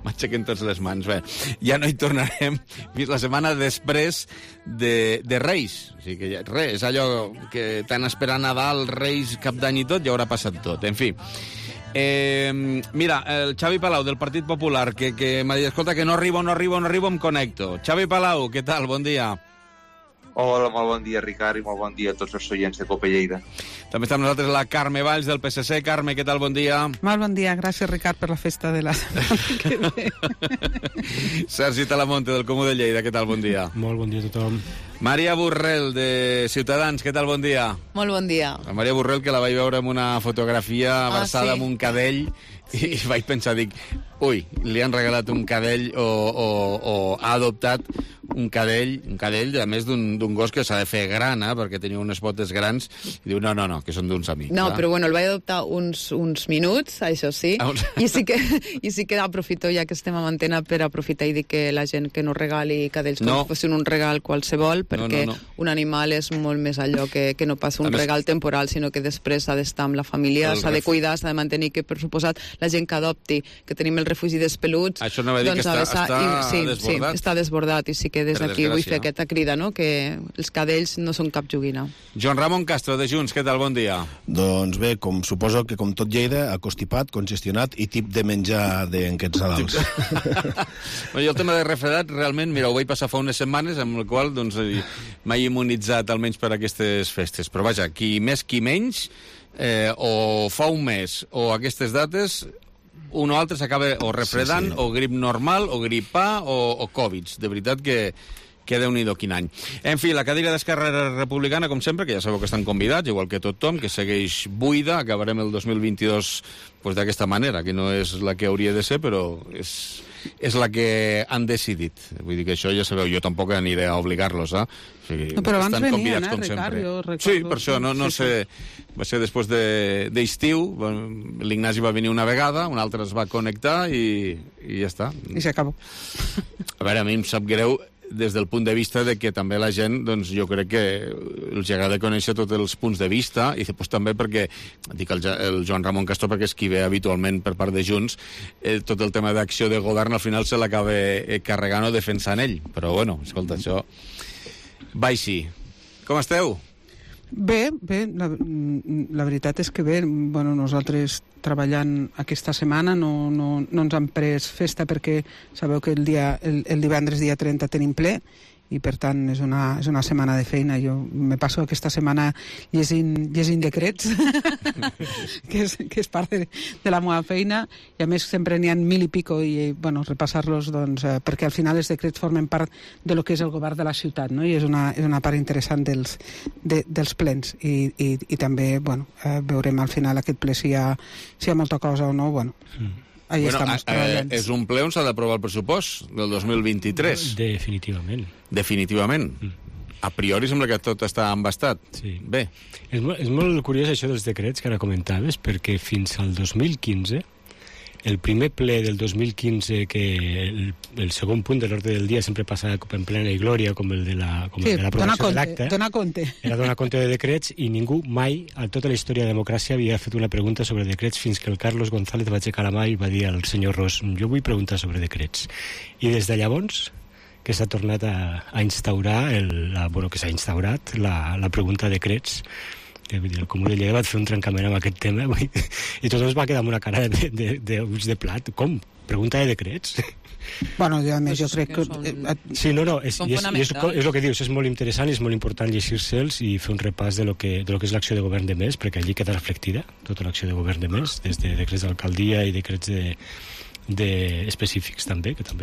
M'aixequen tots les mans. Bé, ja no hi tornarem fins la setmana després de Reis. O sigui que ja, res, és allò que tant esperar Nadal, Reis, Cap d'Any i tot, ja haurà passat tot. En fi. Mira, el Xavi Palau, del Partit Popular, que m'ha dit, escolta, que no arribo, em connecto. Xavi Palau, què tal? Bon dia. Hola, molt bon dia, Ricard, i molt bon dia a tots els oients de Cope Lleida. També està amb nosaltres la Carme Valls, del PSC. Carme, què tal? Bon dia. Molt bon dia. Gràcies, Ricard, per la festa de la setmana que ve. Sergi Talamonte, del Comú de Lleida. Què tal? Bon dia. Molt bon dia a tothom. Maria Borrell, de Ciutadans. Què tal? Bon dia. Molt bon dia. La Maria Borrell, que la vaig veure en una fotografia abraçada amb un cadell, i vaig pensar, ui, li han regalat un cadell o ha adoptat un cadell, a més d'un gos que s'ha de fer gran, perquè tenia unes potes grans, i diu, no, que són d'uns amics. No, però bueno, el vaig adoptar uns minuts, això sí, i sí que aprofito, ja que estem a antena, per aprofitar i dir que la gent que no regali cadells com si fossin un regal qualsevol, perquè un animal és molt més allò que no pas un regal temporal, sinó que després ha d'estar amb la família, s'ha de cuidar, s'ha de mantenir, que per suposat la gent que adopti, que tenim el refugi dels peluts... Això no va dir que està desbordat. Sí, està desbordat, i sí que des d'aquí vull fer aquesta crida, no?, que els cadells no són cap joguina. Joan Ramon Castro, de Junts, què tal? Bon dia. Doncs bé, suposo que com tot Lleida, acostipat, congestionat i tip de menjar d'aquests Nadals. Jo el tema de refredat, realment, mira, ho vaig passar fa unes setmanes, amb el qual m'he immunitzat almenys per aquestes festes. Però vaja, qui més qui menys, o fa un mes o aquestes dates, un o altre s'acaba o refredant, o grip normal, o gripar, o Covid. De veritat que Déu-n'hi-do quin any. En fi, la cadira d'Esquerra Republicana, com sempre, que ja sabeu que estan convidats, igual que tothom, que segueix buida. Acabarem el 2022 d'aquesta manera, que no és la que hauria de ser, però és la que han decidit. Vull dir que això ja sabeu, jo tampoc aniré a obligar-los, O sigui, no, però abans venien, Ricard, jo recordo. Sí, per això, no sé, va ser després d'estiu, l'Ignasi va venir una vegada, un altre es va connectar i ja està. I s'acabó. A veure, a mi em sap greu des del punt de vista de que també la gent, doncs jo crec que els agrada conèixer tots els punts de vista, i després també perquè, dic el Joan Ramon Castro perquè és qui ve habitualment per part de Junts, tot el tema d'acció de govern al final se l'acaba carregant o defensant ell, però bueno, escolta, això va així. Com esteu? Bé, la veritat és que bé, bueno, nosaltres treballant aquesta setmana no ens han pres festa perquè sabeu que el divendres dia 30 tenim ple i per tant és una setmana de feina. Jo me passo aquesta setmana llegint decrets que és part de la meva feina, i a més sempre n'hi ha 1000 i pico, i bueno, repassar-los doncs, perquè al final els decrets formen part de lo que és el govern de la ciutat, no? I és una part interessant dels plens, i també bueno, veurem al final aquest ple si hi ha molta cosa o no. Bueno, ahí estamos treballant. És un ple on s'ha d'aprovar el pressupost del 2023. Definitivament. A priori sembla que tot està embastat. Sí. Bé. És molt curiós això dels decrets que ara comentaves, perquè fins al 2015, el primer ple del 2015, que el segon punt de l'ordre del dia sempre passa en plena i glòria, com el de l'aprovació de l'acte. Donar compte. Era donar compte de decrets, i ningú mai, a tota la història de la democràcia, havia fet una pregunta sobre decrets, fins que el Carlos González va aixecar la mà i va dir al senyor Ros, jo vull preguntar sobre decrets. I des de llavors que s'ha tornat a instaurar, que s'ha instaurat la pregunta de decrets. El Comú de Lleida va fer un trencament amb aquest tema i tothom es va quedar amb una cara d'ulls de plat. Com? Pregunta de decrets? Bueno, a més, jo crec que... Sí, no, és el que dius, és molt interessant i és molt important llegir-se'ls i fer un repàs de lo que és l'acció de govern de mes, perquè allí queda reflectida tota l'acció de govern de mes, des de decrets d'alcaldia i decrets específics també, que també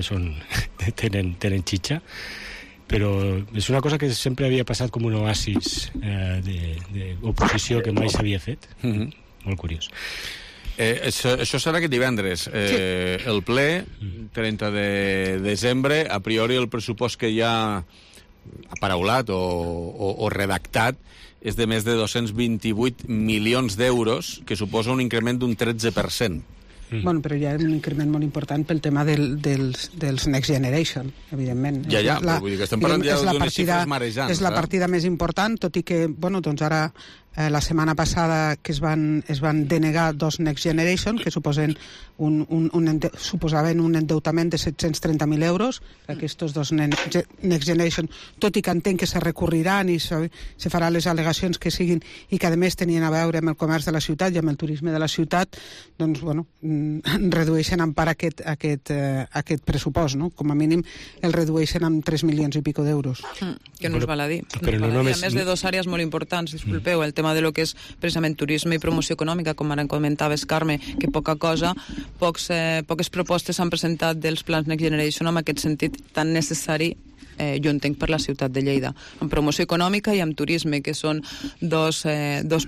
tenen xitxa, però és una cosa que sempre havia passat com un oasis d'oposició que mai s'havia fet. Molt curiós. Això serà aquest divendres. El ple, 30 de desembre, a priori el pressupost que hi ha aparaulat o redactat és de més de 228 milions d'euros, que suposa un increment d'un 13%. Bueno, però hi ha un increment molt important pel tema dels Next Generation, evidentment. Ja, vull dir que estem parlant ja d'unes xifres marejants. És la partida més important, tot i que, bueno, doncs ara la setmana passada que es van denegar dos Next Generation, que suposaven un endeutament de 730.000 euros, aquests dos Next Generation, tot i que entenc que se recorriran i se faran les al·legacions que siguin i que a més tenien a veure amb el comerç de la ciutat i amb el turisme de la ciutat, doncs, bueno, redueixen en part aquest pressupost, no? Com a mínim el redueixen amb 3 milions i pico d'euros. Que no us val a dir. Però no només... A més de dues àrees molt importants, disculpeu, el tema de lo que és precisament turisme i promoció econòmica, com ara comentaves, Carme, que poca cosa, poques propostes s'han presentat dels plans Next Generation en aquest sentit tan necessari, jo entenc, per la ciutat de Lleida, en promoció econòmica i en turisme, que són dos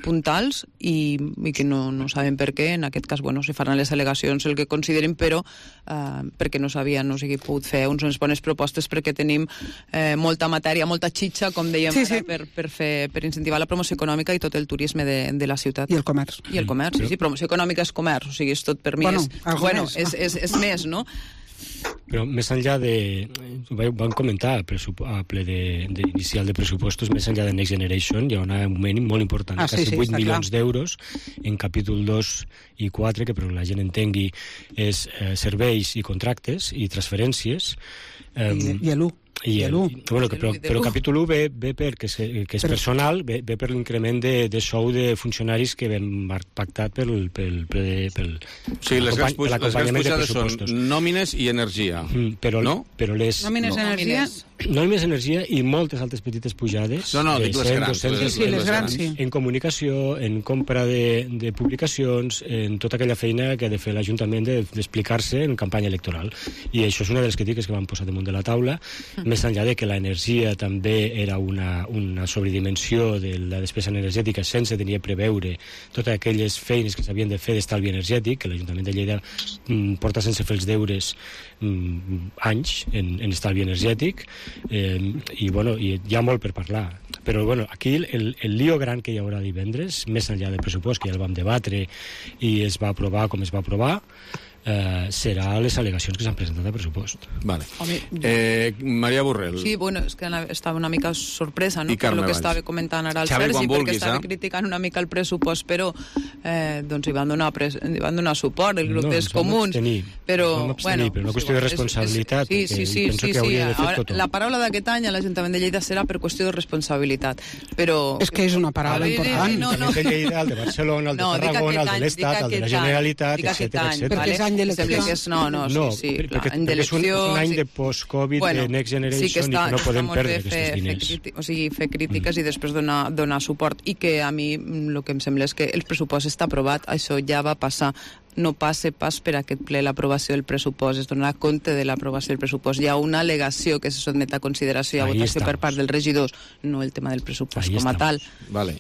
puntals i que no saben per què. En aquest cas, bueno, se faran les al·legacions el que considerin, però perquè no s'havien pogut fer unes bones propostes, perquè tenim molta matèria, molta xitxa, com dèiem, per incentivar la promoció econòmica i tot el turisme de la ciutat. I el comerç. I el comerç, sí, promoció econòmica és comerç, o sigui, és tot per mi. És més, no? Però més enllà vam comentar a ple inicial de pressupostos, més enllà de Next Generation hi ha un augment molt important, quasi 8 milions d'euros en capítol 2 i 4, que per la gent entengui és serveis i contractes i transferències. I l'1. Però el capítol 1 ve perquè és personal, ve per l'increment de sou de funcionaris que vam pactat pel les grans pujades són nòmines i energia. Nòmines, energia i moltes altres petites pujades. Dic les grans. Les grans, sí. En comunicació, en compra de publicacions, en tota aquella feina que ha de fer l'Ajuntament d'explicar-se en campanya electoral. I això és una de les crítiques que van posar damunt de la taula, més enllà de que l'energia també era una sobredimensió de la despesa energètica sense tenir a preveure totes aquelles feines que s'havien de fer d'estalvi energètic, que l'Ajuntament de Lleida porta sense fer els deures anys en estalvi energètic, i hi ha molt per parlar. Però aquí el lío gran que hi haurà divendres, més enllà del pressupost, que ja el vam debatre i es va aprovar com es va aprovar, serà les al·legacions que s'han presentat a pressupost. Vale. Maria Borrell. Sí, és que estava una mica sorpresa, no? Per el que estava comentant ara el Sergi, perquè estava criticant una mica el pressupost, però doncs hi van donar suport el grup dels comuns. Però una qüestió de responsabilitat, sí. Penso que hauria de fer tothom. La paraula d'aquest any a l'Ajuntament de Lleida serà per qüestió de responsabilitat, però... És que és una paraula important. El de Lleida, el de Barcelona, el de Tarragona, el de l'Estat, el de la Generalitat, etcètera. Perquè és any d'eleccions. Perquè és un any de post-Covid, de Next Generation, i que no podem perdre aquests diners. O sigui, fer crítiques i després donar suport. I que a mi el que em sembla és que el pressupost està aprovat, això ja va passar. No passa pas per aquest ple l'aprovació del pressupost, es donarà compte de l'aprovació del pressupost. Hi ha una al·legació que se sotmet a consideració i a votació per part dels regidors, no el tema del pressupost com a tal. Vale.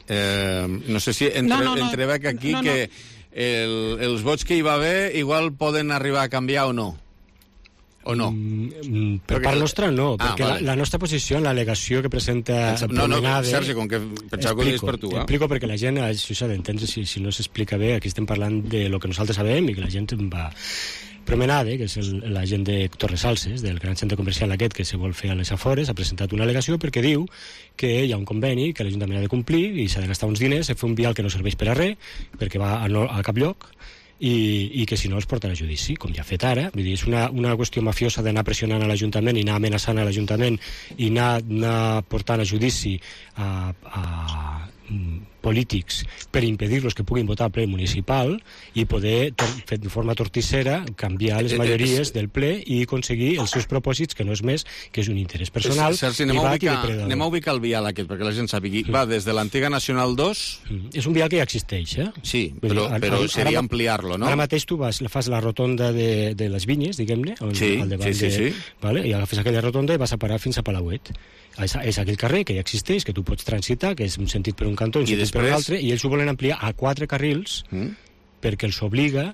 No sé si entrebec aquí que els vots que hi va haver igual poden arribar a canviar o no? O no? Per part nostra no, perquè la nostra posició en l'al·legació que presenta Promenade... Sergi, com que pensava que ho deies per tu. Explico perquè la gent, això s'ha d'entendre, si no s'explica bé, aquí estem parlant de lo que nosaltres sabem i que la gent va... Promenade, que és l'agent de Torresalses, del gran centre comercial aquest que se vol fer a les afores, ha presentat una al·legació perquè diu que hi ha un conveni que l'Ajuntament ha de complir i s'ha de gastar uns diners, a fer un vial que no serveix per a res, perquè va a cap lloc, i que si no els portarà a judici, com ja ha fet ara. Vull dir, és una qüestió mafiosa d'anar pressionant a l'Ajuntament i anar amenaçant a l'Ajuntament i anar portant a judici a polítics per impedir-los que puguin votar al ple municipal i poder, de forma torticera, canviar les majories del ple i aconseguir els seus propòsits, que no és més que és un interès personal. Sergi, anem a ubicar el vial aquest, perquè la gent sàpigui. Va des de l'antiga Nacional 2... És un vial que ja existeix, eh? Sí, però seria ampliar-lo, no? Ara mateix tu fas la rotonda de les Vinyes, diguem-ne, al davant sí. Vale? I agafes aquella rotonda i vas a parar fins a Palauet. És aquell carrer que ja existeix, que tu pots transitar, que és un sentit per un cantó i un sentit per l'altre, i ells ho volen ampliar a 4 carrils perquè els obliga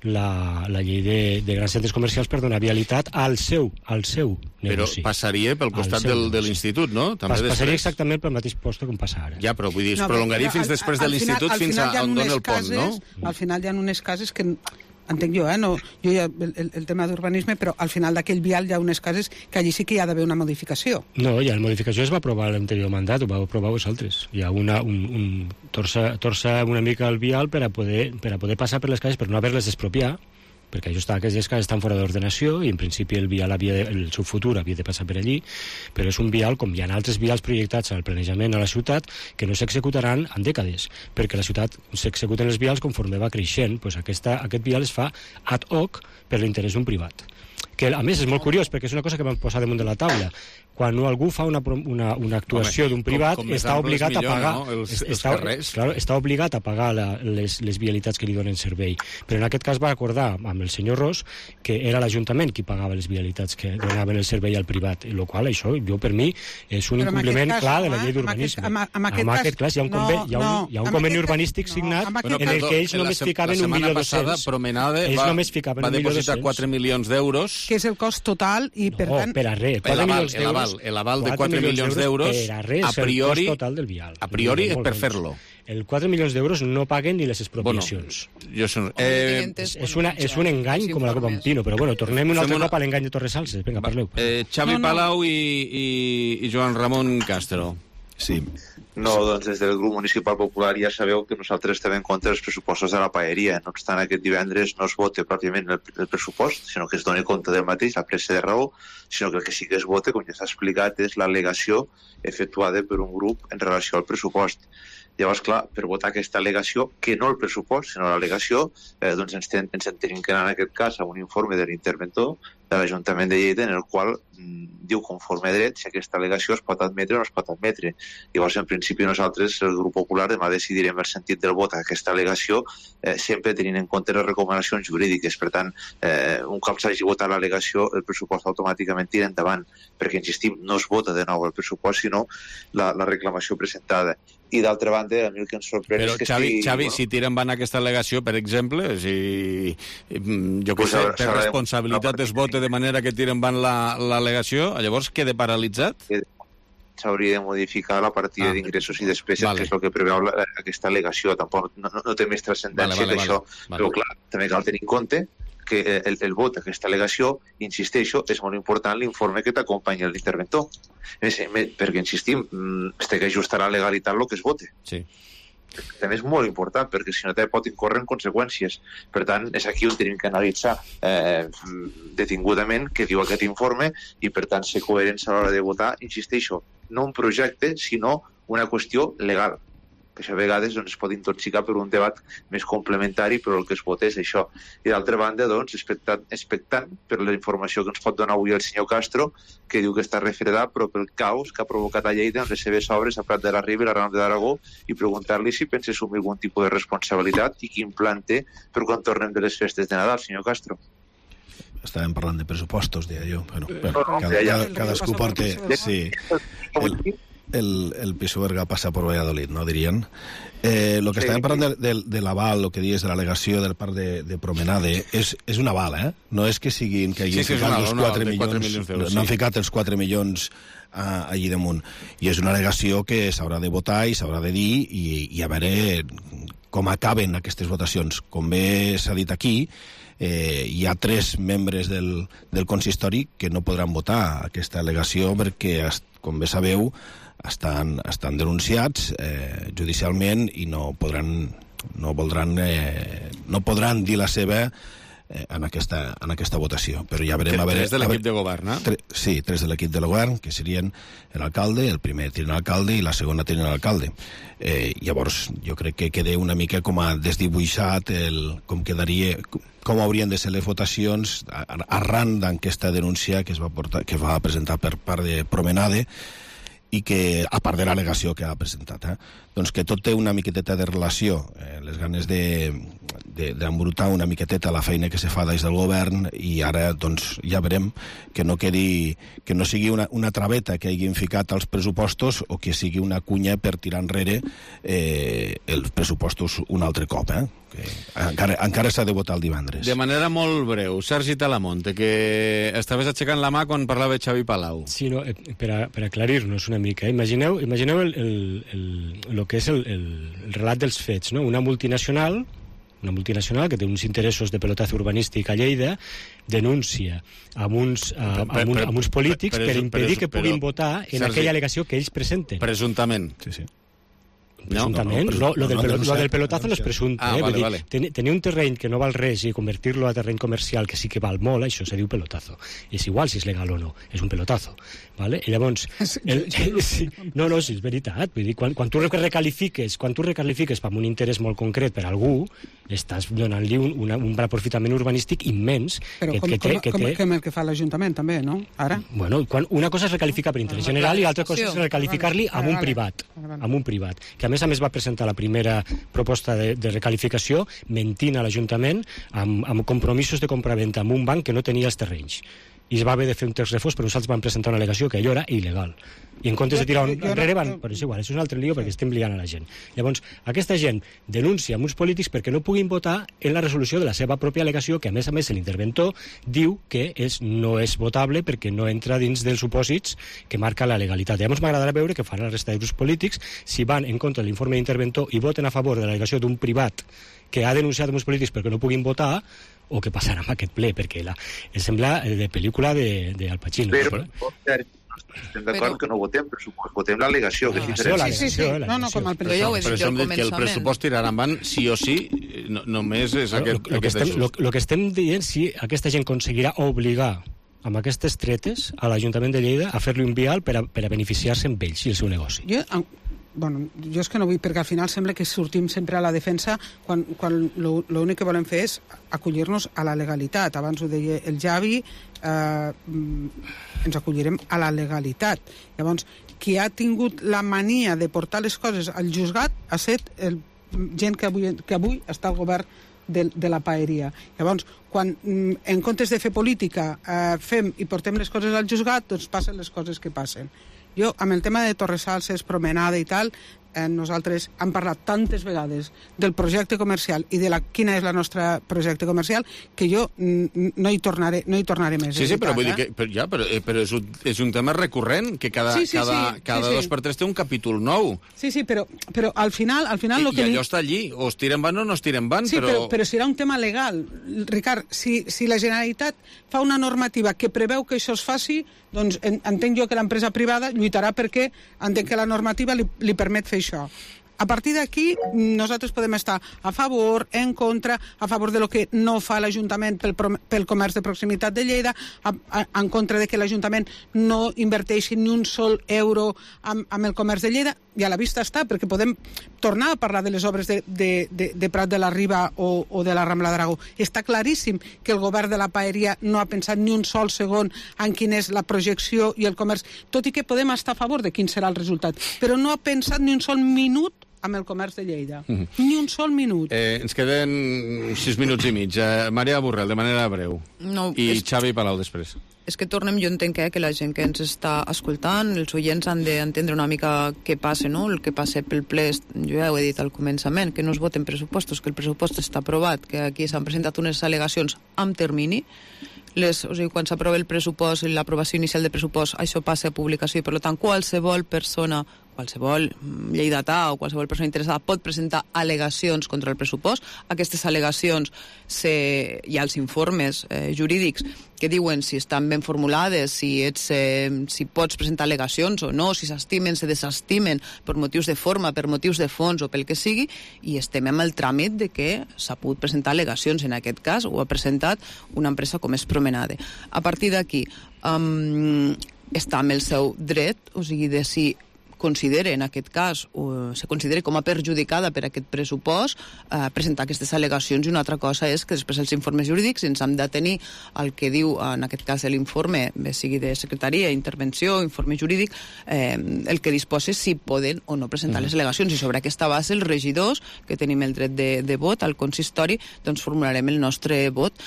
la llei de grans centres comercials per donar vialitat al seu negoci. Però passaria pel costat de l'institut, no? Passaria exactament pel mateix post com passa ara. Ja, però vull dir, es prolongaria fins després de l'institut, fins a on dona el pont, no? Al final hi ha unes cases que... Entenc jo, no, jo ja el tema d'urbanisme, però al final d'aquell vial hi ha unes cases que allí sí que hi ha d'haver una modificació. No, ja la modificació es va aprovar a l'anterior mandat, ho va aprovar vosaltres. Hi ha torça una mica el vial per a poder passar per les cases, per no haver-les d'expropiar, perquè això aquestes cases estan fora d'ordenació i en principi el vial el seu futur havia de passar per allí, però és un vial, com hi ha altres vials projectats al planejament a la ciutat, que no s'executaran en dècades, perquè la ciutat s'executen els vials conforme va creixent. Pues aquest vial es fa ad hoc per l'interès d'un privat, que a més és molt curiós perquè és una cosa que vam posar damunt de la taula. Quan algú fa una actuació d'un privat, està obligat a pagar està obligat a pagar les vialitats que li donen servei. Però en aquest cas va acordar amb el senyor Ros que era l'Ajuntament qui pagava les vialitats que donaven el servei al privat, el qual això, per mi, és un incompliment clar de la llei d'urbanisme. En aquest cas hi ha un conveni urbanístic signat en el que ells només ficaven 1.200.000. La setmana passada Promenade va depositar 4 milions d'euros. Que és el cost total i, per tant... per a res, 4 milions d'euros. L'aval de 4 milions d'euros, a priori és per fer-lo. El 4 milions d'euros no paguen ni les expropiacions. És un engany com la Copa Pino, però tornem un altre cop a l'engany de Torresalses. Vinga, parleu. Xavi Palau i Joan Ramon Castro. Sí. No, doncs des del grup municipal popular ja sabeu que nosaltres estem en contra dels pressupostos de la paeria. No obstant, aquest divendres no es vota pròpiament el pressupost, sinó que es doni compte del mateix, la pressa de raó, sinó que el que sí que es vota, com ja s'ha explicat, és l'al·legació efectuada per un grup en relació al pressupost. Llavors, clar, per votar aquesta al·legació, que no el pressupost, sinó l'al·legació, doncs ens tenim que anar en aquest cas a un informe de l'interventor de l'Ajuntament de Lleida en el qual diu conforme a dret si aquesta al·legació es pot admetre o no es pot admetre. Llavors, en principi, nosaltres, el grup popular, demà decidirem el sentit del vot a aquesta al·legació, sempre tenint en compte les recomanacions jurídiques. Per tant, un cop s'hagi votat l'al·legació, el pressupost automàticament tira endavant, perquè, insistim, no es vota de nou el pressupost, sinó la reclamació presentada. I d'altra banda, a mi el que ens sorprèn és que Xavi, si tira endavant aquesta al·legació, per exemple, jo què sé, per responsabilitat es vota de manera que tira endavant l'al·legació, llavors queda paralitzat? S'hauria de modificar la partida d'ingressos i despeses, que és el que preveu aquesta al·legació. Tampoc no té més transcendència que això, però clar, també cal tenir en compte que el vot d'aquesta al·legació, insisteixo, és molt important l'informe que t'acompanya l'interventor. Perquè, insistim, es té que ajustar a la legalitat el que es vote. Sí. També és molt important, perquè si no pot incórrer en conseqüències. Per tant, és aquí on tenim que analitzar detingudament què diu aquest informe i, per tant, ser coherents a l'hora de votar, insisteixo, no un projecte, sinó una qüestió legal, que això a vegades es pot intoxicar per un debat més complementari, però el que es vota és això. I d'altra banda, expectant per la informació que ens pot donar avui el senyor Castro, que diu que està refredat, però pel caos que ha provocat a Lleida amb les seves obres a Prat de la Riba i la Rambla d'Aragó, i preguntar-li si pensa assumir algun tipus de responsabilitat i quin plan té per quan tornem de les festes de Nadal, senyor Castro. Estàvem parlant de pressupostos, deia jo. Cadascú porta... Sí. el PSOE Berga passa per Valladolid, no, dirien? Lo que estàvem parlant de l'aval, el que dius de l'al·legació del parc de Promenade, és un aval, No és que siguin que hagin ficat els 4 milions d'euros. No han ficat els 4 milions allí damunt. I és una al·legació que s'haurà de votar i s'haurà de dir i a veure com acaben aquestes votacions. Com bé s'ha dit aquí, hi ha 3 membres del consistori que no podran votar aquesta al·legació perquè, com bé sabeu, estan denunciats judicialment i no podran dir la seva en aquesta votació. Però ja verem... 3 de l'equip de govern, eh? Sí, 3 de l'equip de govern, que serien l'alcalde, el primer tinent alcalde i la segona tinent alcalde. Llavors, jo crec que queda una mica com a desdibuixat com quedaria... com haurien de ser les votacions arran d'aquesta denúncia que es va presentar per part de Promenade i que, a part de l'al·legació que ha presentat, doncs que tot té una miqueteta de relació, les ganes d'embrutar una miqueteta la feina que se fa des del govern, i ara doncs ja veurem que no sigui una traveta que hagin ficat als pressupostos o que sigui una cunya per tirar enrere els pressupostos un altre cop, que encara s'ha de votar el divendres. De manera molt breu, Sergi Talamonte, que estaves aixecant la mà quan parlava Xavi Palau. Sí, no, per aclarir-nos una mica. Imagineu el que és el relat dels fets, no? Una multinacional que té uns interessos de pelotazo urbanístic a Lleida, denuncia amb uns polítics per impedir que puguin votar en aquella al·legació que ells presenten. Presumptament. Sí. Presuntament. Lo del pelotazo no és presumpte. Vale. Tenir un terreny que no val res i convertir-lo a terreny comercial que sí que val molt, això se diu pelotazo. És igual si és legal o no, és un pelotazo. Vale? I llavors... No, sí, és veritat. Vull dir, quan tu recalifiques per un interès molt concret per algú, estàs donant-li un aprofitament urbanístic immens. Però com el que fa l'Ajuntament, també, no? Ara? Bueno, una cosa és recalificar per interès general i l'altra cosa és recalificar-li amb un privat. Que a més va presentar la primera proposta de recalificació mentint a l'Ajuntament amb compromisos de compraventa amb un banc que no tenia els terrenys. I es va haver de fer un text refós, però nosaltres vam presentar una al·legació que allò era il·legal. I en comptes de tirar enrere però és igual, és un altre lío perquè estem liant a la gent. Llavors, aquesta gent denuncia amb uns polítics perquè no puguin votar en la resolució de la seva pròpia al·legació, que a més l'interventor diu que no és votable perquè no entra dins dels supòsits que marca la legalitat. Llavors m'agradarà veure què fan la resta de grups polítics si van en contra de l'informe d'interventor i voten a favor de l'al·legació d'un privat que ha denunciat uns polítics perquè no puguin votar, o què passarà amb aquest ple, perquè sembla de pel·lícula d'Al Pacino. Però estem d'acord que no votem pressupost, votem l'al·legació. Sí. No, com el pressupost. Però som dit que el pressupost tirarà endavant sí o sí, només és aquest ajust. El que estem dient, si aquesta gent aconseguirà obligar amb aquestes tretes a l'Ajuntament de Lleida a fer-li un vial per a beneficiar-se amb ells i el seu negoci. Jo és que no vull, perquè al final sembla que sortim sempre a la defensa quan l'únic que volem fer és acollir-nos a la legalitat. Abans ho deia el Javi, ens acollirem a la legalitat. Llavors, qui ha tingut la mania de portar les coses al juzgat ha estat gent que avui està al govern de la paeria. Llavors, quan en comptes de fer política fem i portem les coses al juzgat, doncs passen les coses que passen. Jo, amb el tema de Torresalses, Promenade i tal, nosaltres hem parlat tantes vegades del projecte comercial i de quina és la nostra projecte comercial que jo no hi tornaré més. Sí, però vull dir que però és un tema recurrent que cada 2x3 té un capítol nou. Sí, però al final I allò està allí, o es tira endavant o no es tira endavant. Sí, però serà un tema legal. Ricard, si la Generalitat fa una normativa que preveu que això es faci, doncs entenc jo que l'empresa privada lluitarà perquè entenc que la normativa li permet fer això. A partir d'aquí, nosaltres podem estar a favor, en contra, a favor de lo que no fa l'Ajuntament pel comerç de proximitat de Lleida, en contra de que l'Ajuntament no inverteixi ni un sol euro amb el comerç de Lleida, i a la vista està, perquè podem tornar a parlar de les obres de Prat de la Riba o de la Rambla d'Aragó. Està claríssim que el govern de la paeria no ha pensat ni un sol segon en quina és la projecció i el comerç, tot i que podem estar a favor de quin serà el resultat, però no ha pensat ni un sol minut amb el comerç de Lleida. Ni un sol minut. Ens queden 6 minuts i mig. Maria Borrell, de manera breu. I Xavi Palau després. és que tornem, jo entenc que la gent que ens està escoltant, els oients han d'entendre una mica què passa, no? El que passa pel ple, jo ja ho he dit al començament, que no es voten pressupostos, que el pressupost està aprovat, que aquí s'han presentat unes al·legacions amb termini, o sigui, quan s'aprova el pressupost i l'aprovació inicial de pressupost, això passa a publicació i, per tant, qualsevol persona, qualsevol lleidatà o qualsevol persona interessada pot presentar al·legacions contra el pressupost. Aquestes al·legacions hi ha els informes jurídics que diuen si estan ben formulades, si pots presentar al·legacions o no, si s'estimen, se desestimen per motius de forma, per motius de fons o pel que sigui, i estem amb el tràmit de que s'ha pogut presentar al·legacions. En aquest cas ho ha presentat una empresa com és Promenade. A partir d'aquí està amb el seu dret, o sigui, de si considera, en aquest cas, o se considera com a perjudicada per aquest pressupost, presentar aquestes al·legacions, i una altra cosa és que després els informes jurídics ens hem de tenir el que diu, en aquest cas, l'informe, bé sigui de secretaria, intervenció, informe jurídic, el que disposa si poden o no presentar les al·legacions, i sobre aquesta base els regidors, que tenim el dret de vot al consistori, doncs formularem el nostre vot.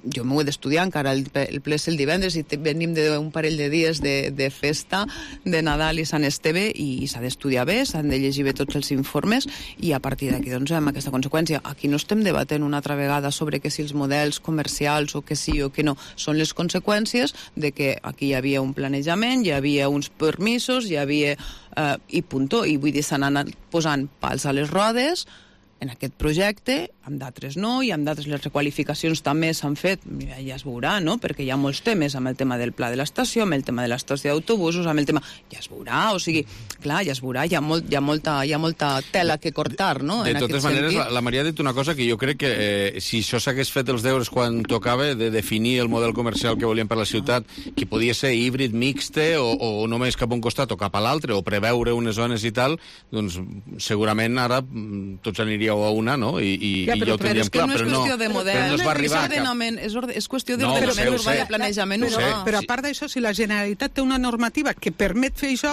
Jo m'ho he d'estudiar, encara el ple és el divendres i venim d'un parell de dies de festa, de Nadal i Sant Esteve, i s'ha d'estudiar bé, s'han de llegir bé tots els informes, i a partir d'aquí doncs amb aquesta conseqüència. Aquí no estem debatent una altra vegada sobre que si els models comercials o que sí o que no, són les conseqüències de que aquí hi havia un planejament, hi havia uns permisos, hi havia i punt, i vull dir, s'han anat posant pals a les rodes en aquest projecte, amb d'altres no, i amb d'altres les requalificacions també s'han fet, ja es veurà, no?, perquè hi ha molts temes, amb el tema del pla de l'estació, amb el tema de l'estació d'autobusos, amb el tema... Ja es veurà, o sigui, clar, ja es veurà, hi ha molta tela que cortar, no?, de totes maneres, la Maria ha dit una cosa que jo crec que si això s'hagués fet els deures quan tocava de definir el model comercial que volien per la ciutat, que podia ser híbrid, mixte, o només cap a un costat o cap a l'altre, o preveure unes zones i tal, doncs segurament ara tots aniríeu a una, no?, i ja ho tindríem clar, però no. És qüestió de model, és qüestió d'ordenament urbà i planejament urbà. Però a part d'això, si la Generalitat té una normativa que permet fer això,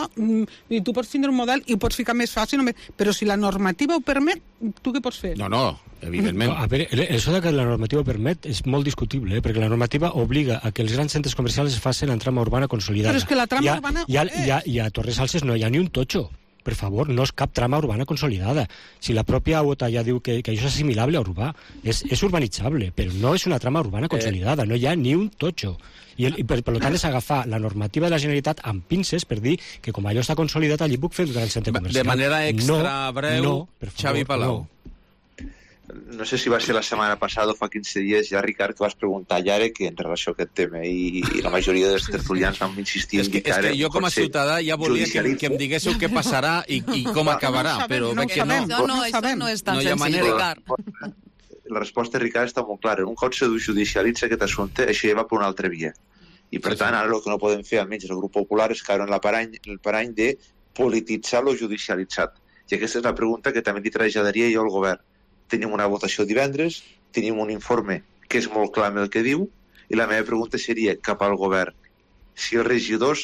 i tu pots tindre un model i ho pots ficar més fàcil, però si la normativa ho permet, tu què pots fer? No, evidentment. A veure, això que la normativa ho permet és molt discutible, perquè la normativa obliga a que els grans centres comercials es facin en trama urbana consolidada. Però és que la trama urbana... I a Torres Salses no hi ha ni un totxo. Per favor, no és cap trama urbana consolidada. Si la pròpia UOTA ja diu que això és assimilable a urbà, és urbanitzable, però no és una trama urbana consolidada, no hi ha ni un totxo. I per tant és agafar la normativa de la Generalitat amb pinces per dir que com allò està consolidat allí puc fer un gran centre comercial. De manera extra breu, Xavi Palau. No sé si va ser la setmana passada o fa 15 dies ja, Ricard, que vas preguntar ja que en relació a aquest tema i la majoria dels tertulians vam insistir en dir que ara... És que jo com a ciutadà ja volia que em diguéssiu què passarà i com acabarà, però veig que no. Això no és tan senzill, Ricard. La resposta, Ricard, està molt clara. Un cop se judicialitza aquest assumpte, això ja va per una altra via. I per tant, ara el que no podem fer, almenys el grup popular, és caure en el parany de polititzar lo judicialitzat. I aquesta és la pregunta que també li traslladaria jo al govern. Tenim una votació divendres, tenim un informe que és molt clar amb el que diu, i la meva pregunta seria cap al govern. Si els regidors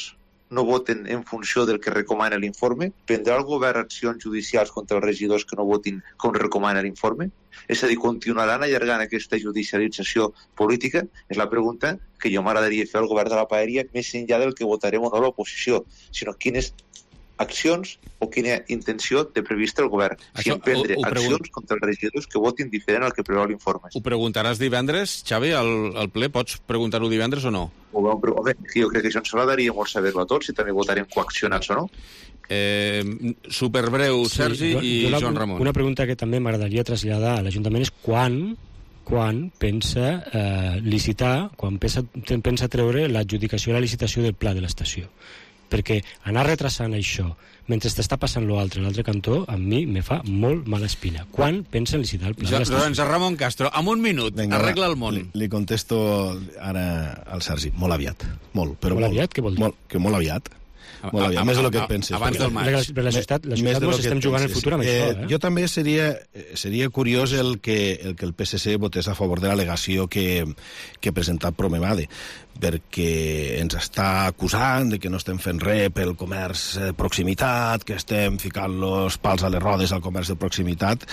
no voten en funció del que recomana l'informe, prendrà el govern accions judicials contra els regidors que no votin com recomana l'informe? És a dir, continuaran allargant aquesta judicialització política? És la pregunta que jo m'agradaria fer al govern de la Paeria, més enllà del que votarem o no l'oposició, sinó quines accions o quina intenció té prevista el govern. Si emprendre accions contra els regidors que votin diferent al que preveu l'informe. Ho preguntaràs divendres, Xavi, al ple? Pots preguntar-ho divendres o no? Home, jo crec que això ens agradaria molt saber-ho a tots, si també votarem coaccionats o no. Superbreu, Sergi i Joan Ramon. Una pregunta que també m'agradaria traslladar a l'Ajuntament és quan pensa licitar, quan pensa treure l'adjudicació i la licitació del pla de l'estació. Perquè anar retrasant això mentre t'està passant l'altre cantó, a mi me fa molt mala espina. Quan pensen licitar el pla de l'estació? Doncs Ramon Castro, en un minut, arregla el món. Li contesto ara al Sergi, molt aviat. Molt aviat? Què vol dir? Que molt aviat. Més del que et penses. Abans del maig. La ciutat mos estem jugant el futur amb això. Jo també seria curiós el que el PSC votés a favor de l'al·legació que ha presentat Promenade, perquè ens està acusant de que no estem fent res pel comerç de proximitat, que estem ficant los pals a les rodes al comerç de proximitat.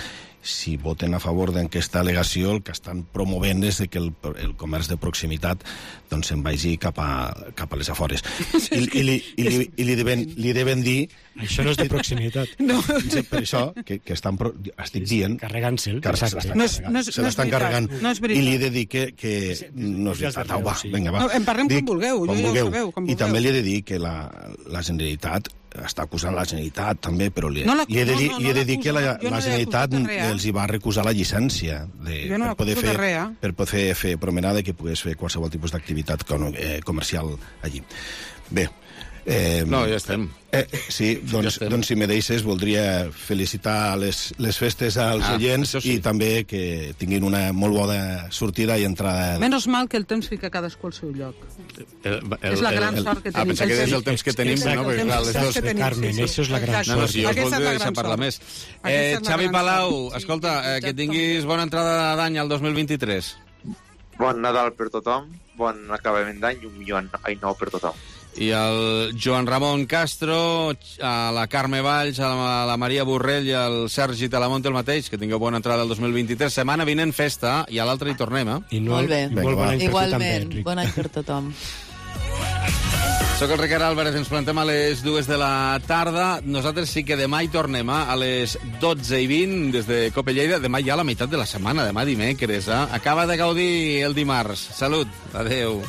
si voten a favor d'aquesta al·legació, el que estan promovent és que el comerç de proximitat doncs se'n vagi cap a les afores. I li deven dir... Això no és de proximitat. No. Per això, que estan... Estic dient... Carregant-se'l. Se l'estan carregant. I li he de dir que no és veritat. Va, vinga, va. En parlem com vulgueu. I també li he de dir que la Generalitat està acusant la Generalitat també, però li he de dir que la Generalitat els hi va recusar la llicència per poder fer promenada i que pogués fer qualsevol tipus d'activitat comercial allí. Bé. No, ja estem. Sí, doncs si me deixes voldria felicitar les festes als oients i també que tinguin una molt bona sortida i entrada. Menys mal que el temps fica cadascú al seu lloc. És la gran sort que tenim. Pensar que és el temps que tenim, no? Perquè clar, les dues... Carmen, això és la gran sort. No, si jo us voldria deixar parlar més. Xavi Palau, escolta, que tinguis bona entrada d'any al 2023. Bon Nadal per tothom, bon acabament d'any i un millor any nou per tothom. I el Joan Ramon Castro, a la Carme Valls, a la Maria Borrell i al Sergi Talamonte el mateix, que tingueu bona entrada al 2023. Setmana vinent festa i a l'altre hi tornem, Molt bé. Igualment, bon any per tothom. Soc el Ricard Álvarez, ens plantem a les 2 de la tarda. Nosaltres sí que demà hi tornem a les 12:20 des de Cope Lleida. Demà ja la meitat de la setmana, demà dimecres. Acaba de gaudir el dimarts. Salut, adeu.